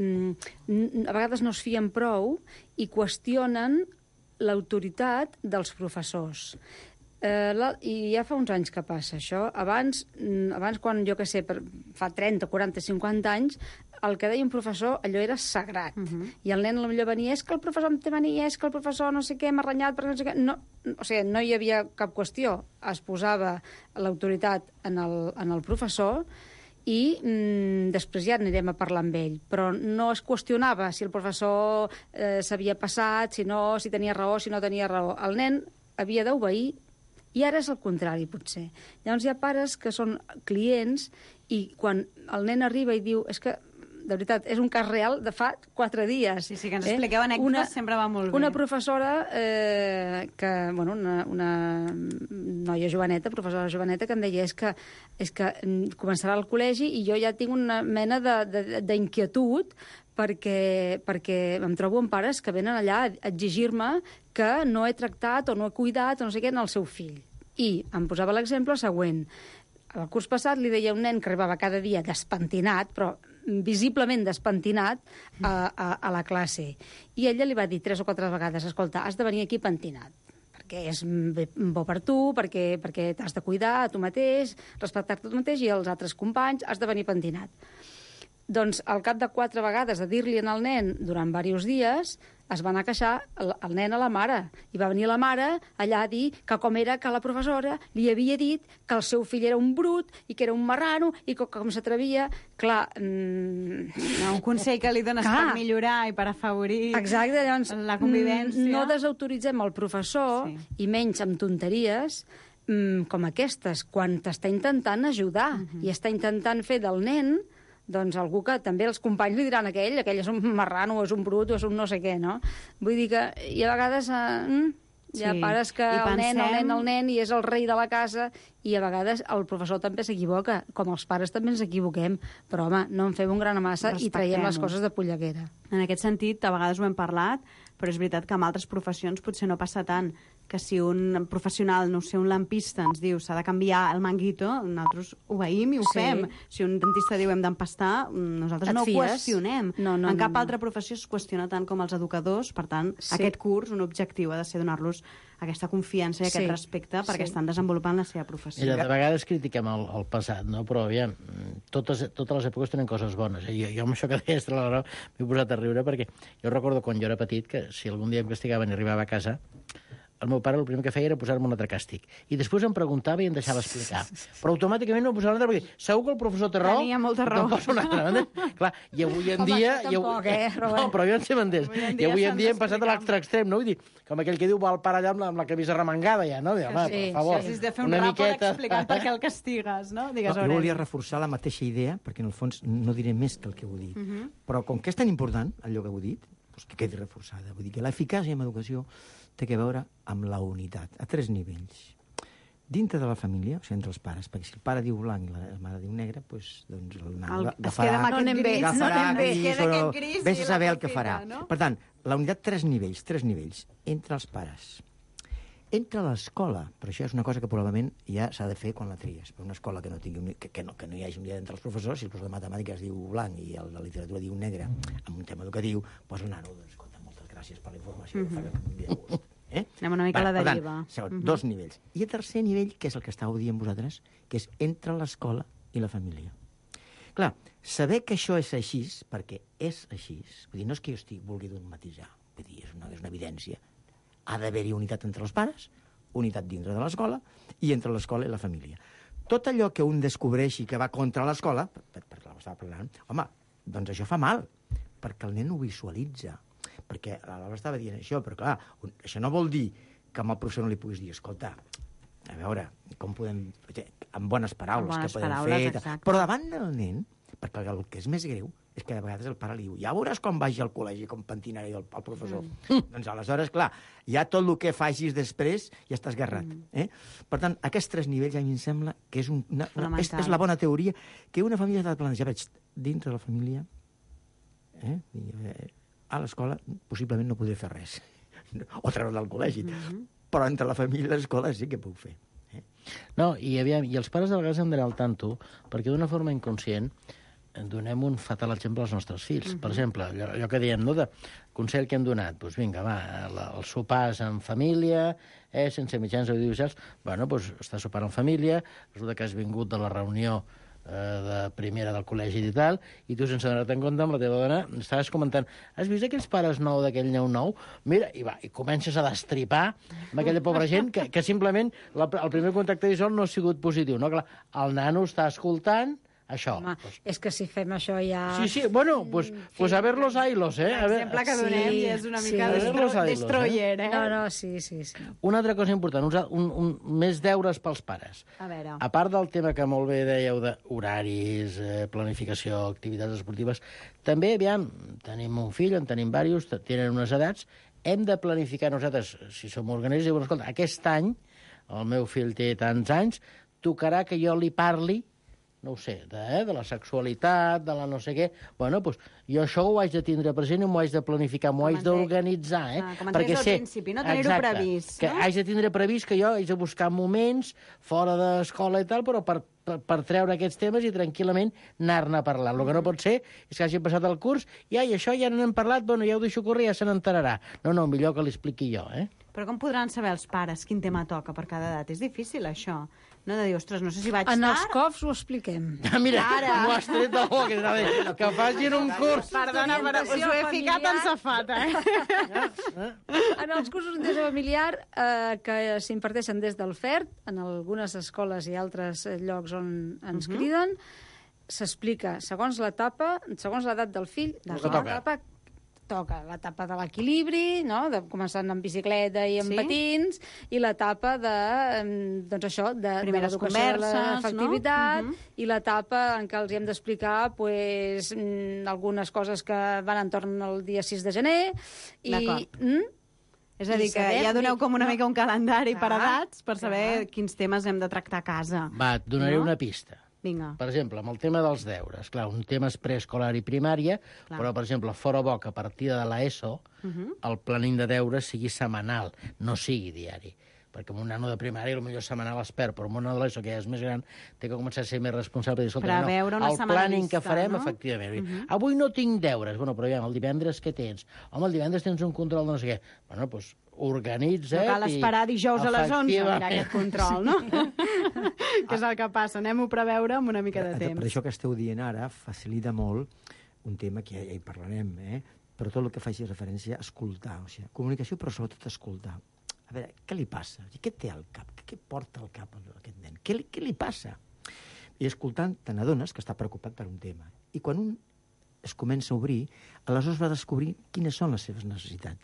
a vegades no es fien prou i qüestionen l'autoritat dels professors. Eh, la, I ja fa uns anys que passa això. Abans, abans quan, jo què sé, per, fa trenta, quaranta, cinquanta anys, el que deia un professor, allò era sagrat. Uh -huh. I el nen potser venia, és que el professor em té mania, és que el professor no sé què, m'ha renyat, perquè no sé què... No, o sigui, no hi havia cap qüestió. Es posava l'autoritat en, el, en el professor i mm, després ja anirem a parlar amb ell. Però no es qüestionava si el professor eh, s'havia passat, si no, si tenia raó, si no tenia raó. El nen havia d'obeir. I ara és el contrari, potser. Llavors hi ha pares que són clients i quan el nen arriba i diu és que, de veritat, és un cas real de fa quatre dies. Sí, sí, que ens eh? expliqueu anècdotes, una, sempre va molt bé. Una professora, eh, que, bueno, una, una noia joveneta, professora joveneta, que em deia és que, és que començarà el col·legi i jo ja tinc una mena d'inquietud perquè, perquè em trobo amb pares que venen allà a exigir-me que no he tractat o no he cuidat o no sé què en el seu fill. I em posava l'exemple següent. El curs passat li deia un nen que arribava cada dia despentinat, però visiblement despentinat, a, a, a la classe. I ella li va dir tres o quatre vegades, escolta, has de venir aquí pentinat, perquè és bo per tu, perquè, perquè t'has de cuidar a tu mateix, respectar-te tu mateix i els altres companys, has de venir pentinat. Doncs al cap de quatre vegades de dir-li al nen durant diversos dies, es va anar a queixar el, el nen a la mare. I va venir la mare allà a dir que com era que la professora li havia dit que el seu fill era un brut i que era un marrano i que com s'atrevia... Clar... Mmm... No, un consell que li dones Clar. per millorar i per afavorir Exacte, llavors, la convivència. No desautoritzem el professor, sí. i menys amb tonteries, mmm, com aquestes, quan t'està intentant ajudar uh -huh. i està intentant fer del nen doncs algú que també els companys li diran aquell, aquell és un marrano, o és un brut, o és un no sé què, no? Vull dir que, i a vegades, eh, Hi ha Sí. pares que I el nen, el pensem- nen, el nen, i és el rei de la casa, i a vegades el professor també s'equivoca, com els pares també ens equivoquem, però home, no en fem un gran massa i traiem les Respectem-ho. coses de polleguera. En aquest sentit, a vegades ho hem parlat, però és veritat que amb altres professions potser no passa tant, que si un professional, no sé, un lampista ens diu s'ha de canviar el manguito, nosaltres obeïm i ho Sí. fem. Si un dentista diu hem d'empastar, nosaltres Et no ho fies? qüestionem. No, no, en no, cap no. altra professió es qüestiona tant com els educadors, per tant, Sí. aquest curs, un objectiu ha de ser donar-los aquesta confiança i aquest Sí. respecte perquè Sí. estan desenvolupant la seva professió. Mira, de vegades critiquem el, el passat, no? Però, aviam, totes, totes les èpoques tenen coses bones. Eh? Jo, jo amb això que deies de la raó m'he posat a riure perquè jo recordo quan jo era petit que si algun dia em castigaven i arribava a casa, el meu pare el primer que feia era posar-me un altre càstig. I després em preguntava i em deixava explicar. Però automàticament no posava un altre perquè segur que el professor té raó. Tenia molta i raó. te'n posa un altre. Clar, i avui en Home, dia... això i tampoc, eh, Robert? No, però jo en sé m'entès. Avui en I dia avui en s'han dia hem passat a d'explicar. l'altre extrem, no? Vull dir, com aquell que diu va el pare allà amb la, amb la camisa remangada, ja, no? Home, Sí, per favor, Si has de fer un una ràpid miqueta... explicant per què el castigues, no? Digues, No, jo Aureli. volia reforçar la mateixa idea, perquè en el fons no diré més que el que heu dit. Mhm. Però com que és tan important, allò que heu dit, doncs que quedi reforçada. Vull dir que l'eficàcia en educació té a veure amb la unitat, a tres nivells. Dintre de la família, o sigui, entre els pares, perquè si el pare diu blanc i la mare diu negre, doncs, doncs el nano El- agafarà... es queda amb aquest No anem bé, gris, no agafarà anem bé. gris, Queda o- aquest gris vés i a saber el que l'aprofita, farà. no? Per tant, la unitat, tres nivells, tres nivells, entre els pares. Entre l'escola, però això és una cosa que probablement ja s'ha de fer quan la tries. Per una escola que no, tingui un, que, que, no, que no hi hagi unitat entre els professors, si el professor de matemàtiques diu blanc i el de literatura diu negre, amb un tema educatiu, doncs el nano, doncs, escolta, moltes gràcies per la informació, mm -hmm. fa un dia de gust. Eh? Anem una mica a la per deriva. Tant, segon, Mhm. dos nivells. I el tercer nivell, que és el que estàveu dient vosaltres, que és entre l'escola i la família. Clar, saber que això és així, perquè és així, vull dir, no és que jo estic vulgui dogmatitzar, vull dir, és una, és una evidència. Ha d'haver-hi unitat entre els pares, unitat dintre de l'escola i entre l'escola i la família. Tot allò que un descobreixi que va contra l'escola, per, per, per la estava parlant, home, doncs això fa mal, perquè el nen ho visualitza. Perquè la Laura estava dient això, però clar, un, això no vol dir que amb el professor no li puguis dir, escolta, a veure, com podem... amb bones paraules, Amb bones que podem paraules, fer... exacte. Però davant del nen, perquè el que és més greu és que de vegades el pare li diu ja veuràs com vagi al col·legi, com pentinaré el, el professor. Mm. Doncs aleshores, clar, ja tot el que facis després ja està esgarrat. Mm. Eh? Per tant, aquests tres nivells a mi em sembla que és, un, una, una, és, és la bona teoria que una família ha de planejar. Veig, dintre de la família, eh? a l'escola possiblement no podré fer res. O treure del col·legi. Mm -hmm. Però entre la família i l'escola sí que puc fer. Eh? No, i, aviam, i els pares de vegades hem d'anar al tanto, perquè d'una forma inconscient donem un fatal exemple als nostres fills. Uh -huh. Per exemple, allò, allò que diem, no?, de consell que hem donat, doncs vinga, va, la, els sopars en família, eh, sense mitjans audiovisuals, bueno, doncs estàs sopant en família, resulta que has vingut de la reunió eh, de primera del col·legi i tal, i tu, sense donar-te en compte, amb la teva dona, estaves comentant, has vist aquells pares nou d'aquell nou nou? Mira, i va, i comences a destripar amb aquella pobra gent que, que simplement la, el primer contacte visual no ha sigut positiu, no? Clar, el nano està escoltant això. Home, pues... és que si fem això ja... Sí, sí, bueno, pues, pues a ver los ailos, eh? A ver... L'exemple que donem Sí, és una sí. mica A ver destro los ailos, destroyer, eh? No, no, sí, sí, sí. Una altra cosa important, un, un, un, més deures pels pares. A veure. A part del tema que molt bé dèieu d'horaris, eh, planificació, activitats esportives, també, aviam, tenim un fill, en tenim diversos, tenen unes edats, hem de planificar nosaltres, si som organistes, i, bueno, escolta, aquest any, el meu fill té tants anys, tocarà que jo li parli, no ho sé, de, eh, de la sexualitat, de la no sé què. Bueno, doncs jo això ho haig de tindre present i m'ho haig de planificar, m'ho Com haig ens d'organitzar, eh? Ah, com ens deies al principi, no? Tenir-ho Exacte, previst, que no? haig de tindre previst que jo haig de buscar moments fora d'escola i tal, però per, per, per treure aquests temes i tranquil·lament anar-ne a parlar. El que no pot ser és que hagi passat el curs i ai, això ja n'hem parlat, bueno, ja ho deixo córrer, ja se n'enterarà. No, no, millor que l'expliqui jo, eh? Però com podran saber els pares quin tema toca per cada edat? És difícil, això. No de dir, ostres, no sé si vaig En els tard... cofs ho expliquem. Ah, mira, Ara. m'ho has tret del bo, que, que, que facin un curs. Perdona, però us ho he ficat en safata, eh? En els cursos d'interès familiar eh, que s'imparteixen des del F E R T, en algunes escoles i altres eh, llocs on ens uh -huh. criden, s'explica segons l'etapa, segons l'edat del fill, El que la toca. etapa toca l'etapa de l'equilibri, no? De, començant amb bicicleta i amb Sí. patins, i l'etapa de, em, doncs això, de, de Primeres l'educació de converses, l'efectivitat, no? Mhm. i l'etapa en què els hi hem d'explicar pues, mm, algunes coses que van entorn al dia sis de gener. I, D'acord. mm? És a dir, que ja doneu com una mica un calendari per edats per saber quins temes hem de tractar a casa. Va, et donaré una pista. Vinga. Per exemple, amb el tema dels deures. Clar, un tema és preescolar i primària, Clar. però, per exemple, fora bo que a partir de l'ESO Mhm. el planning de deures sigui setmanal, no sigui diari. Perquè un nano de primària potser setmanal es perd, però un nano de l'ESO, que ja és més gran, té que començar a ser més responsable. I dir, escolta, Preveure no, una el setmana planning vista, que farem, no? efectivament. Mhm. Avui no tinc deures. Bueno, però ja, el divendres què tens? Home, el divendres tens un control de no sé què. Bueno, doncs organitza't. No cal esperar dijous a les onze a mirar Efectivament. aquest control, no? Que és el que passa. Anem-ho a preveure amb una mica de Per temps. això que esteu dient ara facilita molt un tema que ja, ja hi parlarem, eh? però tot el que faci referència a escoltar. O sigui, comunicació, però sobretot escoltar. A veure, què li passa? Què té al cap? Què porta al cap a aquest nen? Què li, què li passa? I escoltant, te n'adones que està preocupat per un tema. I quan un es comença a obrir, aleshores va descobrir quines són les seves necessitats.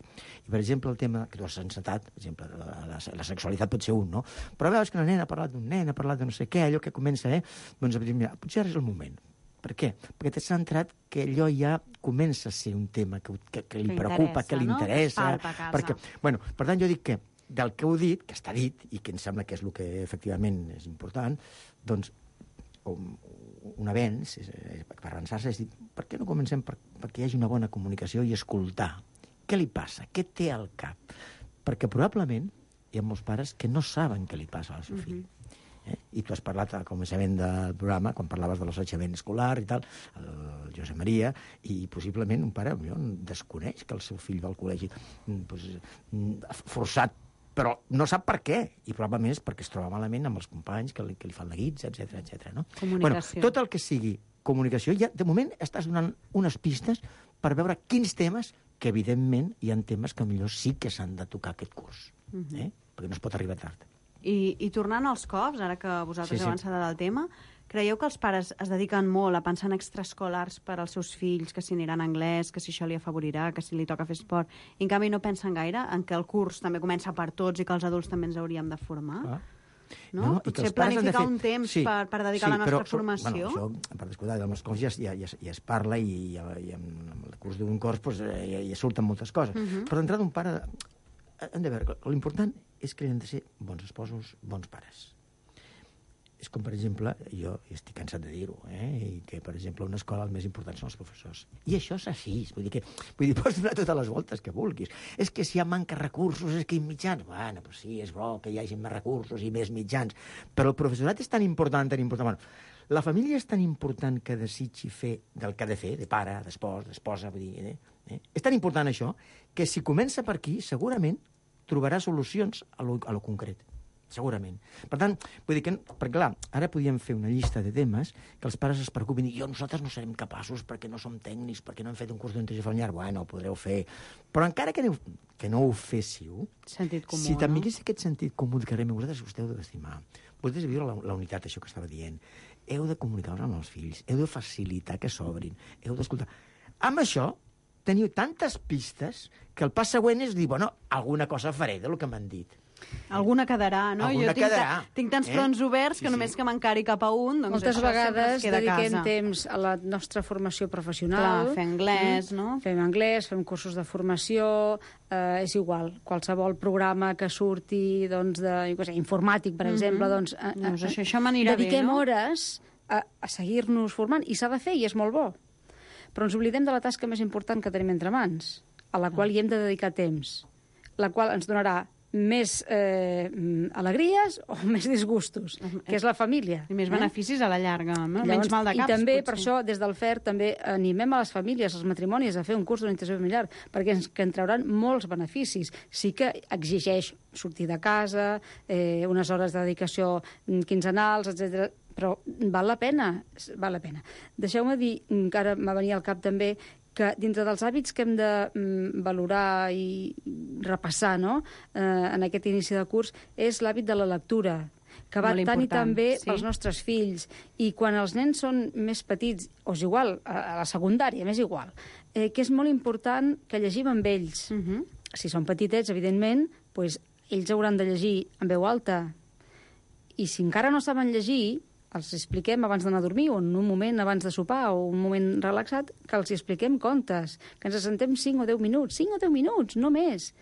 I, per exemple, el tema que tu has encetat, per exemple, la, la, la sexualitat pot ser un, no? Però veus que la nena ha parlat d'un nen, ha parlat de no sé què, allò que comença, eh? Doncs a dir, mira, potser ara és el moment. Per què? Perquè t'has centrat que allò ja comença a ser un tema que, que, que li Que preocupa, interessa, que li no? interessa. Que es palpa a casa. Perquè, bueno, per tant, jo dic que del que heu dit, que està dit, i que em sembla que és el que efectivament és important, doncs un, un avenç, és, és, per avançar-se, és dir, per què no comencem per, perquè hi hagi una bona comunicació i escoltar? Què li passa? Què té al cap? Perquè probablement hi ha molts pares que no saben què li passa al seu fill. Eh? I tu has parlat al començament del programa, quan parlaves de l'assetjament escolar i tal, el Josep Maria, i possiblement un pare millor desconeix que el seu fill va al col·legi doncs, forçat, però no sap per què, i probablement és perquè es troba malament amb els companys que li, que li fan la guitza, etcètera, etcètera. No? Bueno, tot el que sigui comunicació, ja de moment estàs donant unes pistes per veure quins temes, que evidentment hi ha temes que millor sí que s'han de tocar aquest curs, eh? Perquè no es pot arribar tard. I, I tornant als cops, ara que vosaltres Sí, sí. heu encetat el tema, creieu que els pares es dediquen molt a pensar en extraescolars per als seus fills, que si aniran a anglès, que si això li afavorirà, que si li toca fer esport, i en canvi no pensen gaire en que el curs també comença per tots i que els adults també ens hauríem de formar? Ah. No? No, i que Potser els pares han de planificar fer- un temps Sí, per, per dedicar sí, a la nostra però, formació? Bueno, això, per descomptat, amb les coses ja, ja, ja, ja es parla i, i, i amb el curs d'un curs pues, ja, ja surten moltes coses. Mhm. Però d'entrada un pare... Hem de veure, l'important és que hem de ser bons esposos, bons pares. És com, per exemple, jo estic cansat de dir-ho, eh? I que, per exemple, a una escola el més important són els professors. I això és així. Vull dir que vull dir, pots donar totes les voltes que vulguis. És que si hi ha manca recursos, és que hi ha mitjans. Bueno, però sí, és bo que hi hagi més recursos i més mitjans. Però el professorat és tan important, tan important. Bueno, la família és tan important que desitgi fer del que ha de fer, de pare, d'espòs, d'esposa, vull dir, eh? Eh? És tan important això que si comença per aquí, segurament trobarà solucions a lo, a lo concret. Segurament. Per tant, vull dir que, perquè clar, ara podíem fer una llista de temes que els pares es preocupin i jo, nosaltres no serem capaços perquè no som tècnics, perquè no hem fet un curs d'orientació familiar. Bueno, ho podreu fer. Però encara que, aneu, que no ho féssiu, Sentit comú, si també no? hagués aquest sentit comú que vosaltres us heu d'estimar, vosaltres heu de viure la, la unitat, això que estava dient, heu de comunicar-vos amb els fills, heu de facilitar que s'obrin, heu d'escoltar. Amb això, teniu tantes pistes que el pas següent és dir, bueno, alguna cosa faré del que m'han dit. Alguna quedarà, no? Alguna jo tinc, quedarà, tinc tants eh? fronts oberts Sí, que sí. només que m'encari cap a un, doncs Moltes això sempre vegades es queda a dediquem casa. temps a la nostra formació professional. Clar, fer anglès, no? Fem anglès, fem cursos de formació, eh, és igual. Qualsevol programa que surti doncs, de, jo què sé, informàtic, per Mhm. exemple, doncs, eh, Doncs eh, això- això m'anirà bé, dediquem no? hores a, a seguir-nos formant, i s'ha de fer, i és molt bo. Però ens oblidem de la tasca més important que tenim entre mans, a la qual hi hem de dedicar temps, la qual ens donarà més eh, alegries o més disgustos, que és la família. I més beneficis a la llarga, no? Llavors, Menys mal de caps, I també, potser. per això, des del F E R també animem a les famílies, als matrimonis, a fer un curs d'orientació familiar, perquè ens que en trauran molts beneficis. Sí que exigeix sortir de casa, eh, unes hores de dedicació quinzenals, etcètera, però val la pena, val la pena. Deixeu-me dir, que ara m'ha venit al cap també, que dintre dels hàbits que hem de mm, valorar i repassar, no?, eh, en aquest inici de curs, és l'hàbit de la lectura, que va Molt tant i important, tan bé sí. pels nostres fills. I quan els nens són més petits, o és igual, a, a la secundària, m'és igual, eh, que és molt important que llegim amb ells. Uh -huh. Si són petitets, evidentment, doncs, ells hauran de llegir en veu alta. I si encara no saben llegir, els expliquem abans d'anar a dormir o en un moment abans de sopar o un moment relaxat, que els expliquem contes, que ens assentem cinc o deu minuts, cinc o deu minuts, no més.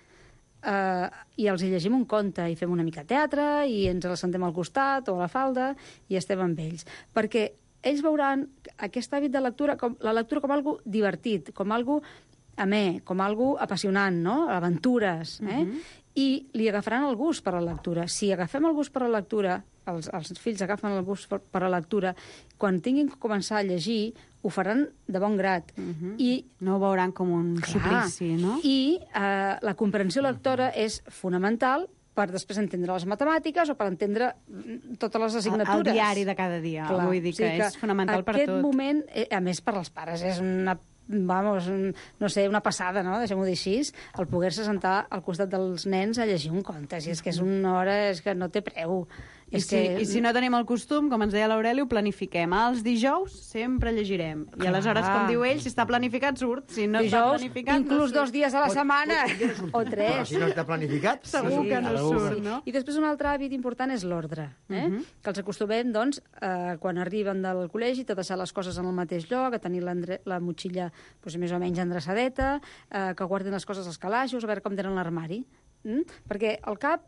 eh, i els hi llegim un conte, i fem una mica de teatre, i ens l'assentem al costat o a la falda, i estem amb ells. Perquè ells veuran aquest hàbit de lectura, com, la lectura com algo divertit, com algo amè, com algo apassionant, no? Aventures, eh? Uh-huh. I li agafaran el gust per la lectura. Si agafem el gust per la lectura, els, els fills agafen el gust per, per la lectura, quan tinguin que començar a llegir, ho faran de bon grat. Uh-huh. I no ho veuran com un clar, suplici, no? I eh, la comprensió lectora és fonamental per després entendre les matemàtiques o per entendre totes les assignatures. El diari de cada dia. Clar, vull dir que, o sigui que és fonamental per tot. Aquest moment, a més per als pares, és una vamos, no sé, una passada, no? Deixem-ho dir així, el poder-se sentar al costat dels nens a llegir un conte. Si és que és una hora, és que no té preu. I, és si, que... I si no tenim el costum, com ens deia l'Aureli, ho planifiquem. Els dijous sempre llegirem. I Clar. aleshores, com diu ell, si està planificat, surt. Si no dijous, està planificat, inclús no dos dies a la setmana. O tres. Però si no està planificat... Segur sí, que no surt, sí. no? I després un altre hàbit important és l'ordre. Eh? Uh -huh. Que els acostumem, doncs, eh, quan arriben del col·legi, a deixar les coses en el mateix lloc, a tenir la motxilla doncs, més o menys endreçadeta, eh, que guardin les coses als calaixos, a veure com tenen l'armari. Mm? Perquè el cap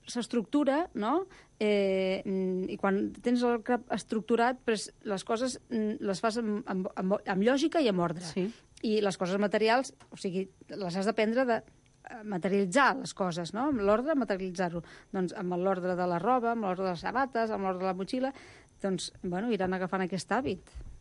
s'estructura, no? Eh, I quan tens el cap estructurat, pues, les coses les fas amb, amb, amb, amb lògica i amb ordre. Sí. I les coses materials, o sigui, les has d'aprendre de materialitzar les coses, no? Amb l'ordre, materialitzar-ho. Doncs amb l'ordre de la roba, amb l'ordre de les sabates, amb l'ordre de la motxilla, doncs, bueno, iran agafant aquest hàbit.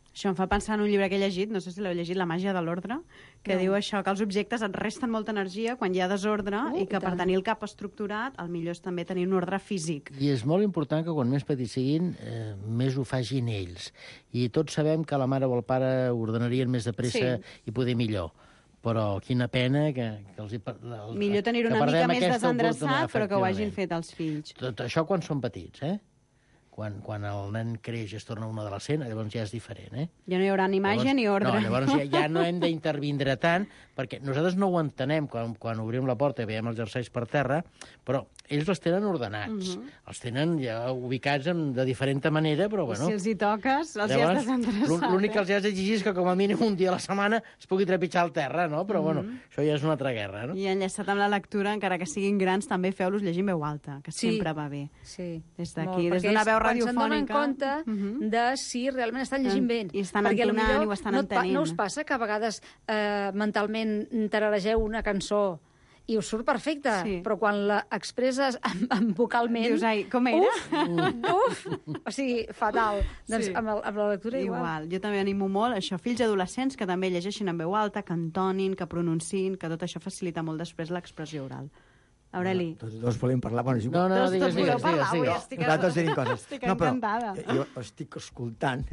Això em fa pensar en un llibre que he llegit, no sé si l'heu llegit, La màgia de l'ordre, que no. diu això, que els objectes et resten molta energia quan hi ha desordre uh, i que i per tenir el cap estructurat el millor és també tenir un ordre físic. I és molt important que quan més petits siguin, eh, més ho facin ells. I tots sabem que la mare o el pare ordenarien més de pressa sí. i poder millor. Però quina pena que, que els... El, millor tenir-ho una mica més desendreçat, però que ho hagin fet els fills. Tot això quan són petits, eh? Quan, quan el nen creix i es torna un adolescent, llavors ja és diferent, eh? Ja no hi haurà ni imatge llavors, ni ordre. No, llavors ja, ja no hem d'intervindre tant, perquè nosaltres no ho entenem quan, quan obrim la porta i veiem els jerseis per terra, però ells els tenen ordenats. Uh -huh. Els tenen ja ubicats en, de diferent manera, però bueno... Si els hi toques, els hi has desendreçat. L'únic que els has d'exigir és que com a mínim un dia a la setmana es pugui trepitjar al terra, no? Però uh -huh. bueno, això ja és una altra guerra, no? I enllaçat amb la lectura, encara que siguin grans, també feu-los llegir en veu alta, que sí. sempre va bé. Sí. Des d'aquí, des d'una veu radiofònica. Quan se'n donen compte uh -huh. de si realment estan llegint bé. I estan entonant i ho estan no entenent. No us passa que a vegades eh, mentalment tararegeu una cançó i us surt perfecte, sí. però quan la expresses amb, amb vocalment... Dius, ai, com era? Uf, uf! O sigui, fatal. Doncs sí. amb, el, amb la lectura igual. Igual. Jo també animo molt això, fills adolescents que també llegeixin en veu alta, que entonin, que pronunciïn, que tot això facilita molt després l'expressió oral. Aureli. No, tots dos volem parlar. Bueno, no, no, no, digues, digues, digues, digues. Nosaltres tenim coses. Estic no, però, encantada. Jo estic escoltant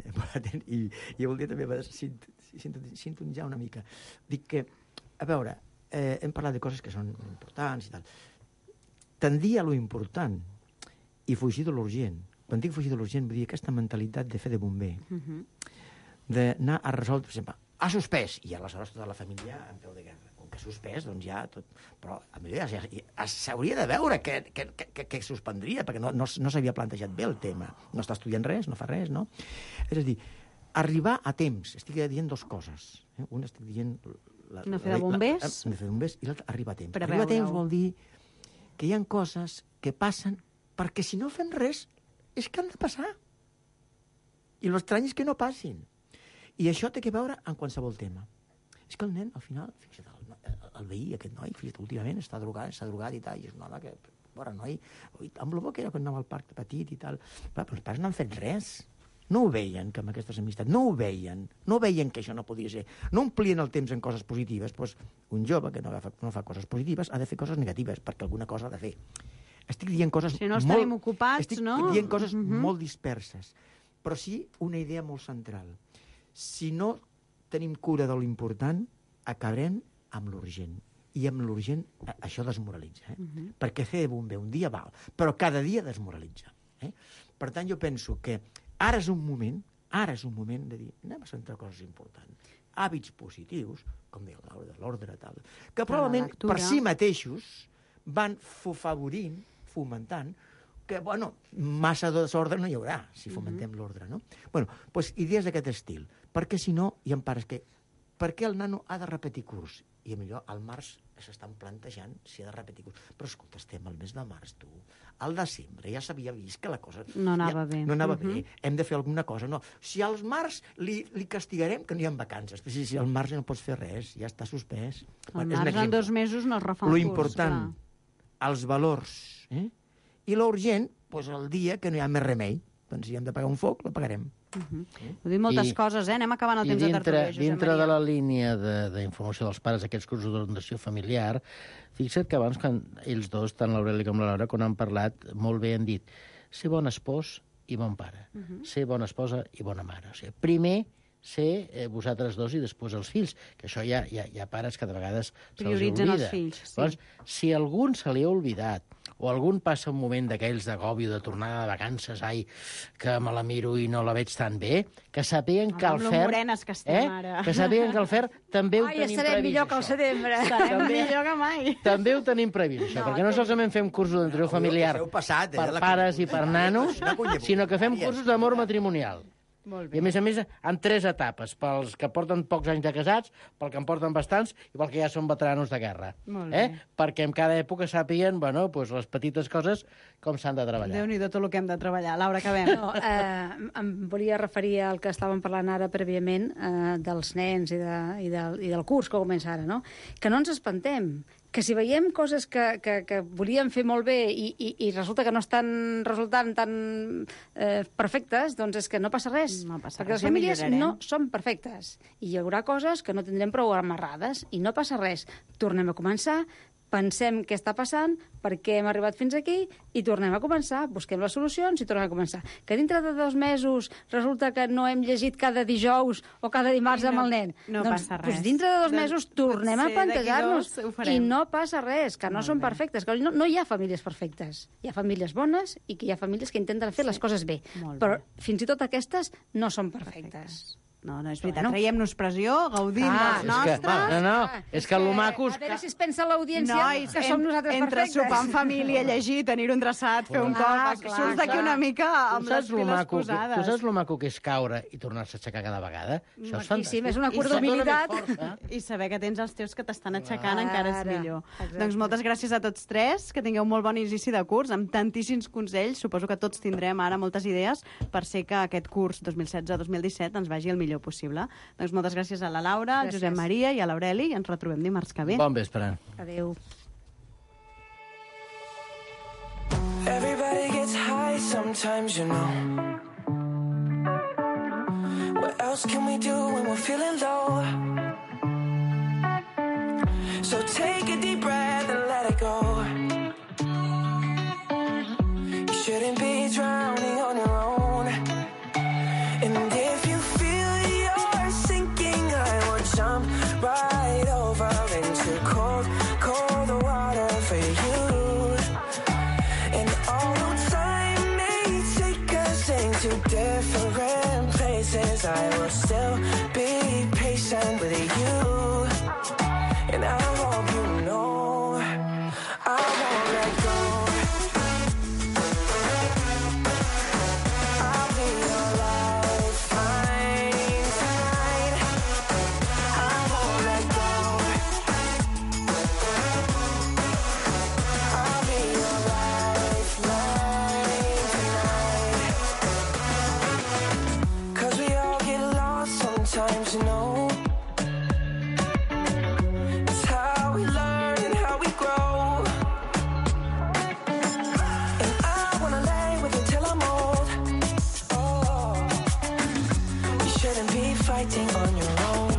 i, i voldria també sintonitzar una mica. Dic que, a veure, eh, hem parlat de coses que són importants i tal. Tendir a lo important i fugir de l'urgent. Quan dic fugir de l'urgent, vull dir aquesta mentalitat de fer de bomber, uh -huh. d'anar a resoldre, per exemple, ha suspès, i aleshores tota la família en peu de guerra. Que suspès, doncs ja tot... Però a mi ja, ja s'hauria de veure què, què, què, què suspendria, perquè no, no, no s'havia plantejat bé el tema. No està estudiant res, no fa res, no? És a dir, arribar a temps. Estic dient dues coses. Eh? Una estic dient... La, no fer de bombers. La, no fer de bombers i l'altra, arribar a temps. Per arribar a temps vol dir que hi ha coses que passen perquè si no fem res és que han de passar. I l'estrany és que no passin. I això té que veure amb qualsevol tema. És que el nen, al final, fixa't, el, el veí, aquest noi, fixa't, últimament està drogat, està drogat i tal, i és un home que, bueno, noi, amb el bo que era quan anava al parc petit i tal, però els pares no han fet res. No ho veien, que amb aquestes amistats, no ho veien, no veien que això no podia ser. No omplien el temps en coses positives, doncs un jove que no fa, no fa coses positives ha de fer coses negatives, perquè alguna cosa ha de fer. Estic dient coses si no molt... estarem ocupats, estic no? Estic dient coses uh -huh. molt disperses, però sí una idea molt central. Si no tenim cura de l'important, acabarem amb l'urgent. I amb l'urgent això desmoralitza. Eh? Uh -huh. Perquè fer de bomber un dia val, però cada dia desmoralitza. Eh? Per tant, jo penso que ara és un moment, ara és un moment de dir, anem a centrar coses importants. Hàbits positius, com deia l'ordre, tal, que probablement per si mateixos van favorint, fomentant, que, bueno, massa desordre no hi haurà, si fomentem uh -huh. l'ordre, no? Bueno, doncs idees d'aquest estil, perquè si no hi ha pares que per què el nano ha de repetir curs? I millor al març s'estan plantejant si ha de repetir curs. Però escolta, estem al mes de març, tu. Al desembre ja s'havia vist que la cosa... No anava ja, bé. No anava uh-huh. bé. Hem de fer alguna cosa. No. Si al març li, li castigarem, que no hi ha vacances. Però si, si al març no pots fer res, ja està suspès. Al març en dos mesos no es refà un Lo curs. important, clar. Els valors. Eh? I l'urgent, doncs el dia que no hi ha més remei. Doncs si hem de pagar un foc, lo pagarem. Uh-huh. Heu dit moltes I, coses, eh? Anem acabant el temps dintre, de tertúlia, Josep dintre Maria. de la línia d'informació dels pares, aquests cursos d'orientació familiar, fixa't que abans, quan ells dos, tant l'Aureli com la Laura, quan han parlat, molt bé han dit ser bon espòs i bon pare, uh-huh. ser bona esposa i bona mare. O sigui, primer ser eh, vosaltres dos i després els fills, que això hi ha, hi ha, hi ha pares que de vegades se'ls oblida. Prioritzen els fills, sí. Llavors, si algun se li ha oblidat o algun passa un moment d'aquells d'agobi de tornada de vacances, ai, que me la miro i no la veig tan bé, que sàpiguen que el Amb lo Fer... morenes que estem eh? ara. Que sàpiguen que el Fer també ho Ai, tenim estarem previst, millor que al això. setembre. Estarem També- millor que mai. També ho tenim previst, això, no, perquè no solament fem cursos d'orientació familiar Heu passat, eh, per la pares i cuina- per nanos, la cuina sinó que fem voluntària. cursos d'amor matrimonial. Molt I a més a més, en tres etapes, pels que porten pocs anys de casats, pel que en porten bastants i pel que ja són veteranos de guerra. Molt eh? bé. Perquè en cada època sàpiguen, bueno, pues, les petites coses com s'han de treballar. Déu-n'hi-do tot el que hem de treballar. Laura, acabem. No, eh, em volia referir al que estàvem parlant ara prèviament eh, dels nens i, de, i, del, i del curs que comença ara, no? Que no ens espantem, que si veiem coses que, que, que volíem fer molt bé i, i, i resulta que no estan resultant tan eh, perfectes, doncs és que no passa res. No passa perquè res, les ja famílies millorarem. no són perfectes. I hi haurà coses que no tindrem prou amarrades i no passa res. Tornem a començar, pensem què està passant, per què hem arribat fins aquí i tornem a començar, busquem les solucions i tornem a començar. Que dintre de dos mesos resulta que no hem llegit cada dijous o cada dimarts I no- amb el nen. no doncs, passa res. Doncs dintre de dos Doncs mesos tornem a potser d'aquí plantejar-nos dos ho farem. i no passa res, que no Molt són bé. perfectes, que no, no hi ha famílies perfectes. Hi ha famílies bones i que hi ha famílies que intenten fer les coses bé. Molt Però bé. fins i tot aquestes no són perfectes. No, no, és veritat. Bueno. Traiem-nos pressió, gaudim Ah, dels És que, nostres. no, no, és que lo macos... A veure si es pensa l'audiència Nois, que som nosaltres entre perfectes. sopar en família, llegir, tenir un traçat, fer un Ah, cop, clar, surts d'aquí clar. una mica amb Tu les saps lo piles maco que, posades. tu saps lo maco que és caure i tornar-se a aixecar cada vegada? Això és Maquíssim, fantàstic. és una I cura se dona més d'humilitat. força. I saber que tens els teus que t'estan aixecant encara és Ara, millor. exacte. Doncs moltes gràcies a tots tres, que tingueu molt bon inici de curs, amb tantíssims consells. Suposo que tots tindrem ara moltes idees per ser que aquest curs dos mil setze dos mil disset ens vagi el millor possible. Doncs moltes gràcies a la Laura, al Gràcies. Josep Maria i a l'Aureli. Ens retrobem dimarts que ve. Bon vespre. Adéu. Everybody gets high sometimes, you know. What else can we do when we're feeling low? So take a deep breath and let it go. You shouldn't be drowning on your own. And if you feel you're sinking, I will jump right over into cold, cold water for you. And although time may take us into different places, I will still be patient with you. And I hope you know I won't let go. I'll be your lifeline tonight. I won't let go. I'll be your lifeline tonight. 'Cause we all get lost sometimes, you know. It's how we learn and how we grow. And I wanna lay with you till I'm old. Oh, you shouldn't be fighting on your own.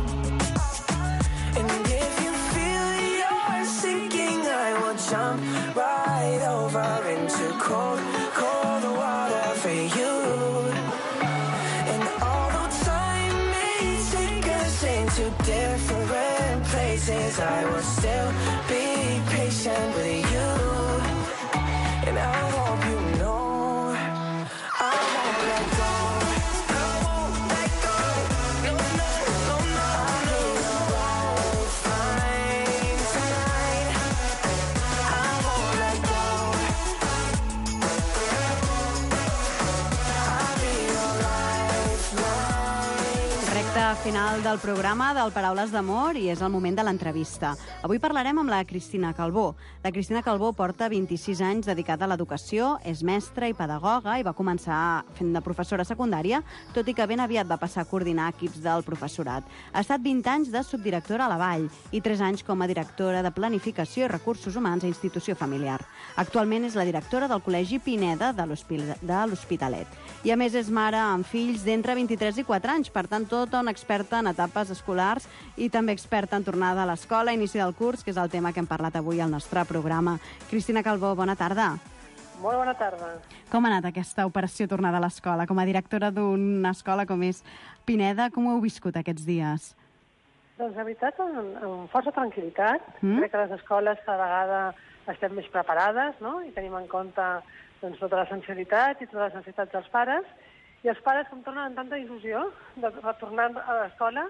And if you feel you're sinking, I will jump right over into cold, cold water for you. And although time may take us into different places, I will still be patient with you. And I hope you know I won't let go. I won't let go. No, no, no, no. I'll be your lifeline tonight. I won't let go. I'll be your lifeline. Recte final del programa del Paraules d'Amor i és el moment de l'entrevista. Avui parlarem amb la Cristina Calbó. La Cristina Calbó porta vint-i-sis anys dedicada a l'educació, és mestra i pedagoga i va començar fent de professora secundària, tot i que ben aviat va passar a coordinar equips del professorat. Ha estat vint anys de subdirectora a la Vall i tres anys com a directora de Planificació i Recursos Humans a Institució Familiar. Actualment és la directora del Col·legi Pineda de l'Hospitalet. I a més és mare amb fills d'entre vint-i-tres i quatre anys, per tant, tota una experta en etapes escolars i també experta en tornada a l'escola, inici del curs, que és el tema que hem parlat avui al nostre programa. Cristina Calbó, bona tarda. Molt bona tarda. Com ha anat aquesta operació tornada a l'escola? Com a directora d'una escola com és Pineda, com ho heu viscut aquests dies? Doncs, la veritat, amb, amb força tranquil·litat. Mm? Crec que les escoles cada vegada estem més preparades, no? I tenim en compte doncs, tota la sensibilitat i totes les necessitats dels pares. I els pares, com tornen amb tanta il·lusió de retornar a l'escola,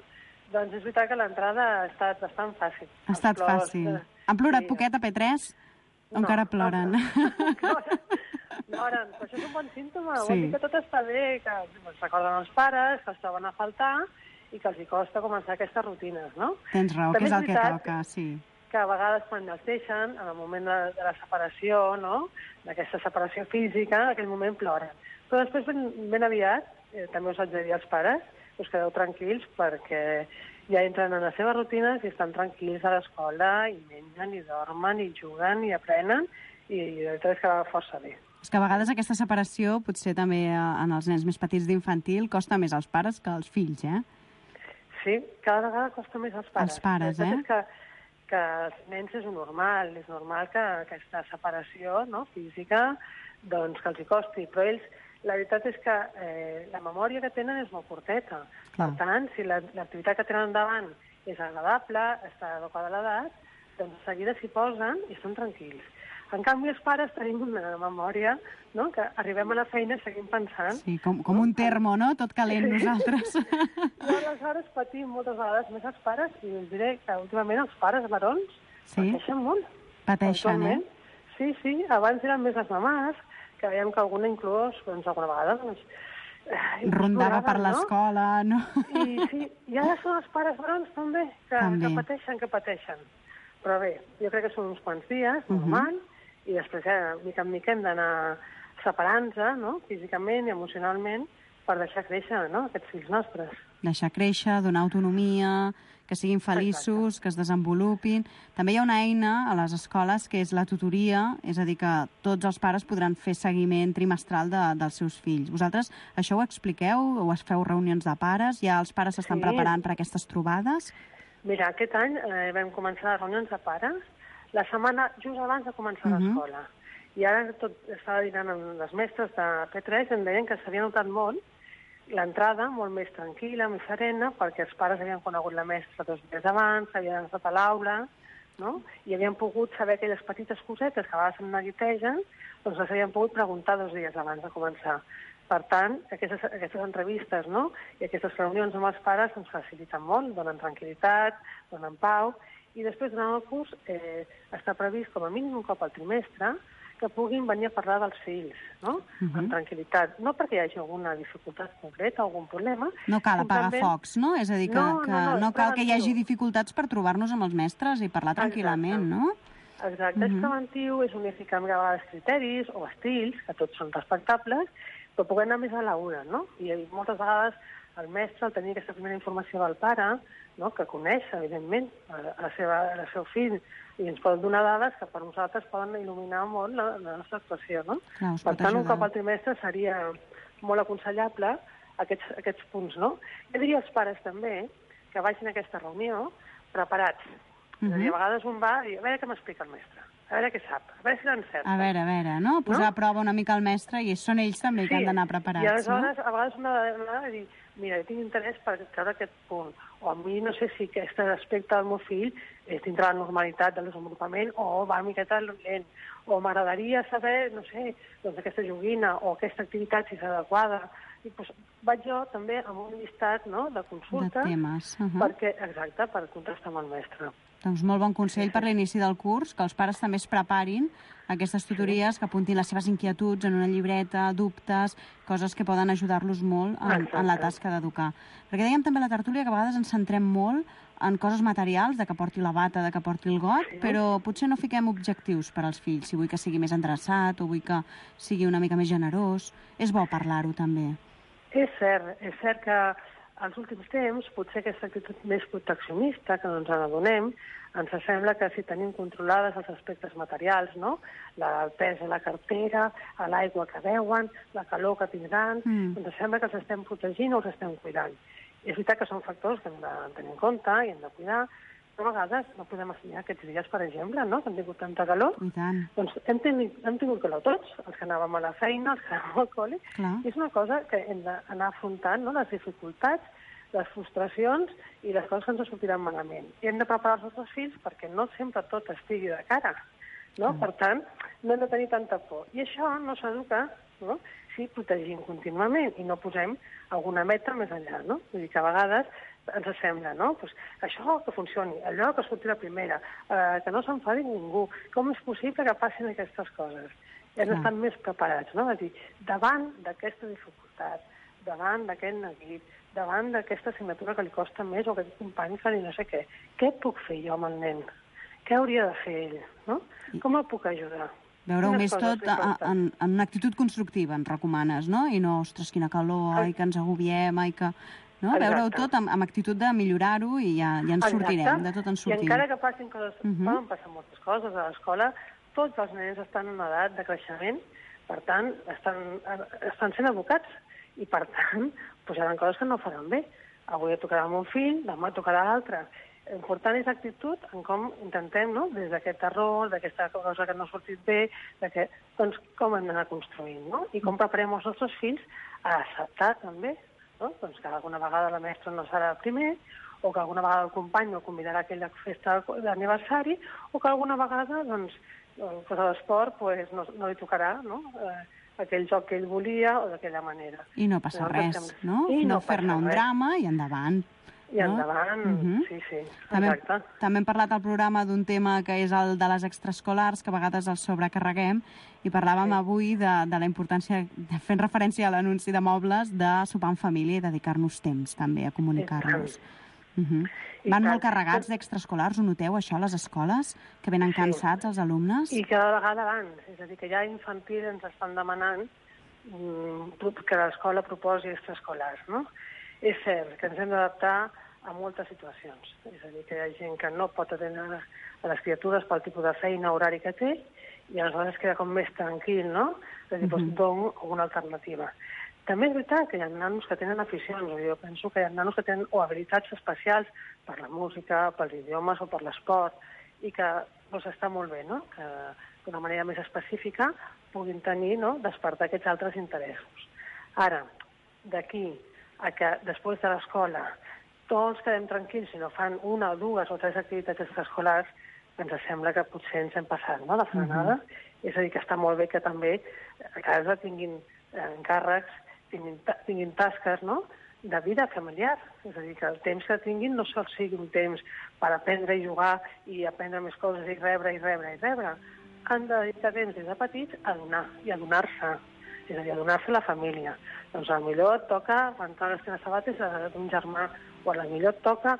doncs és veritat que l'entrada ha estat bastant fàcil. Ha estat plors, fàcil. Eh, Han plorat sí. poquet a P tres? O No, encara ploren? No, ploren. Ploren. Però això és un bon símptoma. Sí. Vol dir que tot està bé, que es recorden els pares, que els troben a faltar i que els hi costa començar aquestes rutines, no? Tens raó, També que és és el que veritat toca, sí. que a vegades quan els deixen, en el moment de, de la separació, no? D'aquesta separació física, en aquell moment ploren. Però després, ben, ben aviat, eh, també us haig de dir als pares, us quedeu tranquils perquè ja entren en les seves rutines i estan tranquils a l'escola i mengen i dormen i juguen i aprenen i, i de veritat és que va força bé. És que a vegades aquesta separació, potser també eh, en els nens més petits d'infantil, costa més als pares que als fills, eh? Sí, cada vegada costa més als pares. Els pares, la eh? És que, que els nens és normal, és normal que aquesta separació, no, física, doncs que els hi costi, però ells, la veritat és que eh, la memòria que tenen és molt curteta. Clar. Per tant, si l'activitat que tenen endavant és agradable, està adequada a l'edat, doncs de seguida s'hi posen i estan tranquils. En canvi, els pares tenim una memòria, no?, que arribem a la feina i seguim pensant. Sí, com, com un termo, no? Tot calent nosaltres. I aleshores patim moltes vegades més els pares, i us diré que últimament els pares barons Sí? pateixen molt. Pateixen, eh? Actualment. Sí, sí, abans eren més les mamàs, que veiem que alguna inclús, doncs alguna vegada, doncs, eh, Rondava per no? l'escola, no? I sí, i ara són els pares barons també, que, També. que pateixen, que pateixen. Però bé, jo crec que són uns quants dies, normal, uh -huh. i després, eh, mica en mica hem d'anar separant-nos, no?, físicament i emocionalment, per deixar créixer, no?, aquests fills nostres. Deixar créixer, donar autonomia, que siguin feliços, Exacte. Que es desenvolupin. També hi ha una eina a les escoles que és la tutoria, és a dir, que tots els pares podran fer seguiment trimestral de, dels seus fills. Vosaltres això ho expliqueu? O es feu reunions de pares? Ja els pares s'estan Sí. preparant per aquestes trobades? Mira, aquest any eh, vam començar les reunions de pares la setmana just abans de començar Uh-huh. l'escola. I ara tot estava dinant amb les mestres de P tres, em deien que s'havia notat molt l'entrada molt més tranquil·la, més serena, perquè els pares havien conegut la mestra dos dies abans, havien estat a l'aula, no?, i havien pogut saber aquelles petites cosetes que a vegades em neguitegen, doncs les havien pogut preguntar dos dies abans de començar. Per tant, aquestes, aquestes entrevistes, no?, i aquestes reunions amb els pares ens faciliten molt, donen tranquil·litat, donen pau, i després, durant el curs, eh, està previst com a mínim un cop al trimestre que puguin venir a parlar dels fills, no?, uh-huh. amb tranquil·litat. No perquè hi hagi alguna dificultat concreta, algun problema. No cal apagar simplement... focs, no? És a dir, que no, que no, no, no cal que hi hagi preventiu. dificultats per trobar-nos amb els mestres i parlar tranquil·lament, no? Exacte, uh-huh. és preventiu, és unificar a vegades criteris o estils, que tots són respectables, però poder anar més a la una, no? I moltes vegades el mestre, al tenir aquesta primera informació del pare, no?, que coneix, evidentment, a la seva, el seu fill, i ens poden donar dades que per nosaltres poden il·luminar molt la, la nostra actuació, no? Clar, per tant, un cop al trimestre seria molt aconsellable aquests, aquests punts, no? Jo diria als pares també que vagin a aquesta reunió preparats. Uh-huh. És a dir, a vegades un va i a veure què m'explica el mestre, a veure què sap, a veure si l'encerta. A veure, a veure, no? Posar no? a prova una mica el mestre i són ells també sí. que han d'anar preparats, I aleshores, no? a vegades una ha de dir, mira, jo tinc interès per treure aquest punt, o a mi no sé si aquest aspecte del meu fill és dintre la normalitat del desenvolupament o va una miqueta lent, o m'agradaria saber, no sé, doncs aquesta joguina o aquesta activitat si és adequada. I doncs vaig jo també amb un llistat, no?, de consultes, de temes, uh -huh. perquè, exacte, per contrastar amb el mestre. Doncs molt bon consell per l'inici del curs, que els pares també es preparin aquestes tutories, que apuntin les seves inquietuds en una llibreta, dubtes, coses que poden ajudar-los molt en, en la tasca d'educar. Perquè dèiem també a la tertúlia que a vegades ens centrem molt en coses materials, de que porti la bata, de que porti el got, sí. Però potser no fiquem objectius per als fills, si vull que sigui més endreçat o vull que sigui una mica més generós. És bo parlar-ho també. És cert, és cert que als últims temps, potser aquesta actitud més proteccionista, que no ens n'adonem, ens sembla que si tenim controlades els aspectes materials, no?, el pes a la cartera, a l'aigua que beuen, la calor que tindran, mm. ens sembla que els estem protegint o els estem cuidant. És veritat que són factors que hem de tenir en compte i hem de cuidar, però a vegades no podem assenyalar aquests dies, per exemple, no?, que han tingut tanta calor. I tant. Doncs hem tingut, hem tingut calor tots, els que anàvem a la feina, els que anàvem al col·le. Clar. I és una cosa que hem d'anar afrontant, no?, les dificultats, les frustracions i les coses que ens sortiran malament. I hem de preparar els nostres fills perquè no sempre tot estigui de cara, no? Mm. Per tant, no hem de tenir tanta por. I això no s'educa, no?, si protegim contínuament i no posem alguna meta més enllà, no? Vull dir que a vegades ens sembla, no?, pues això que funcioni, allò que surti la primera, eh, que no s'enfadi ningú, com és possible que passin aquestes coses? I hem d'estar més preparats, no? És a dir, davant d'aquesta dificultat, davant d'aquest neguit, davant d'aquesta assignatura que li costa més o aquest company que li no sé què, què puc fer jo amb el nen? Què hauria de fer ell? No? Com el puc ajudar? Veure-ho més tot en, en una actitud constructiva, ens recomanes, no? I no, ostres, quina calor, ai, que ens agobiem, ai, que... No? Veure-ho tot amb, amb actitud de millorar-ho i ja, ja ens Exacte. sortirem, de tot ens sortim. I encara que passin coses, uh -huh. poden passar moltes coses a l'escola, tots els nens estan en edat de creixement, per tant, estan, estan sent educats, i per tant, posaran coses que no faran bé. Avui tocarà un fill, demà tocarà l'altre. L'important és l'actitud en com intentem, no?, des d'aquest error, d'aquesta cosa que no ha sortit bé, de que, doncs, com hem d'anar construint, no? I com preparem els nostres fills a acceptar també, no?, doncs que alguna vegada la mestra no serà el primer, o que alguna vegada el company no convidarà a aquella festa d'aniversari, o que alguna vegada, doncs, pues a l'esport pues, no, no li tocarà, no?, eh, aquell joc que ell volia o d'aquella manera. I no passa no, res, sembla... no? I no, no fer-ne un drama i endavant. I no? endavant, uh -huh. sí, sí, també, exacte. També hem parlat al programa d'un tema que és el de les extraescolars, que a vegades els sobrecarreguem, i parlàvem sí. avui de, de la importància, de, fent referència a l'anunci de mobles, de sopar en família i dedicar-nos temps també a comunicar-nos. Uh -huh. Van molt carregats d'extraescolars, ho noteu, això, a les escoles? Que venen cansats els alumnes? I cada vegada abans. És a dir, que ja a infantil ens estan demanant mm, que l'escola proposi extraescolars, no? És cert que ens hem d'adaptar a moltes situacions. És a dir, que hi ha gent que no pot atendre a les criatures pel tipus de feina, horari que té, i aleshores queda com més tranquil, no? És a dir, doncs dono una alternativa. També és veritat que hi ha nanos que tenen aficions, jo penso que hi ha nanos que tenen o habilitats especials per la música, pels idiomes o per l'esport, i que doncs, està molt bé, no?, que d'una manera més específica puguin tenir, no?, despertar aquests altres interessos. Ara, d'aquí a que després de l'escola tots quedem tranquils si no fan una o dues o tres activitats extraescolars, ens sembla que potser ens hem passat, no?, la frenada. Uh -huh. És a dir, que està molt bé que també a casa tinguin encàrrecs, Tinguin, tinguin tasques, no?, de vida familiar. És a dir, que el temps que tinguin no sol sigui un temps per aprendre i jugar i aprendre més coses i rebre i rebre i rebre. Han de dedicar temps des de petits a donar i a donar-se. És a dir, a donar-se a la família. Doncs potser et toca rentar les teves sabates d'un germà, o potser et toca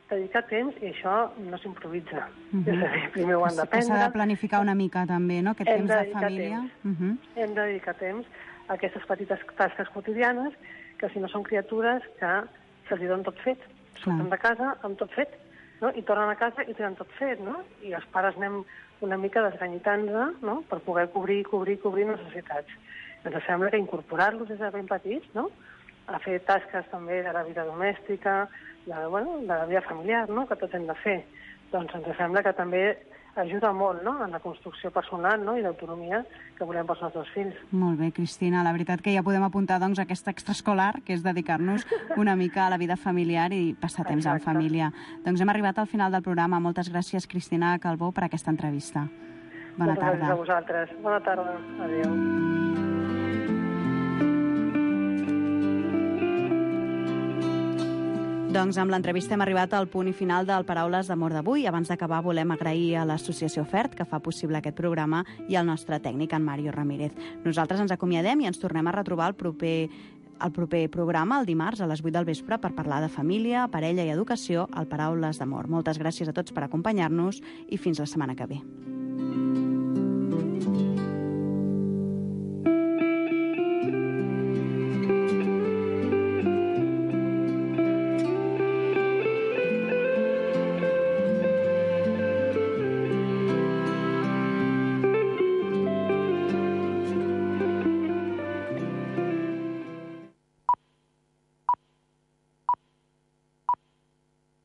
dedicar temps i això no s'improvisa. Uh -huh. És a dir, primer ho han d'aprendre. S'ha de planificar una mica també, no?, aquest temps de, de família. Uh -huh. Hem de dedicar temps a aquestes petites tasques quotidianes, que si no són criatures que se'ls donen tot fet. Surten de casa amb tot fet, no?, i tornen a casa i tenen tot fet, no? I els pares anem una mica desganyitant-nos, no?, per poder cobrir, cobrir, cobrir necessitats. Ens sembla que incorporar-los des de ben petits, no?, a fer tasques també de la vida domèstica, de, bueno, de la vida familiar, no?, que tots hem de fer. Doncs ens sembla que també ajuda molt, no?, en la construcció personal, no?, i l'autonomia que volem pels nostres fills. Molt bé, Cristina. La veritat que ja podem apuntar, doncs, aquesta extraescolar, que és dedicar-nos una mica a la vida familiar i passar temps en família. Doncs hem arribat al final del programa. Moltes gràcies, Cristina Calbó, per aquesta entrevista. Bona Moltes tarda. gràcies a vosaltres. Bona tarda. Adéu. Doncs amb l'entrevista hem arribat al punt i final del Paraules d'Amor d'avui. Abans d'acabar volem agrair a l'Associació FERT, que fa possible aquest programa, i al nostre tècnic, en Mario Ramírez. Nosaltres ens acomiadem i ens tornem a retrobar el proper, el proper programa, el dimarts, a les vuit del vespre, per parlar de família, parella i educació al Paraules d'Amor. Moltes gràcies a tots per acompanyar-nos i fins la setmana que ve.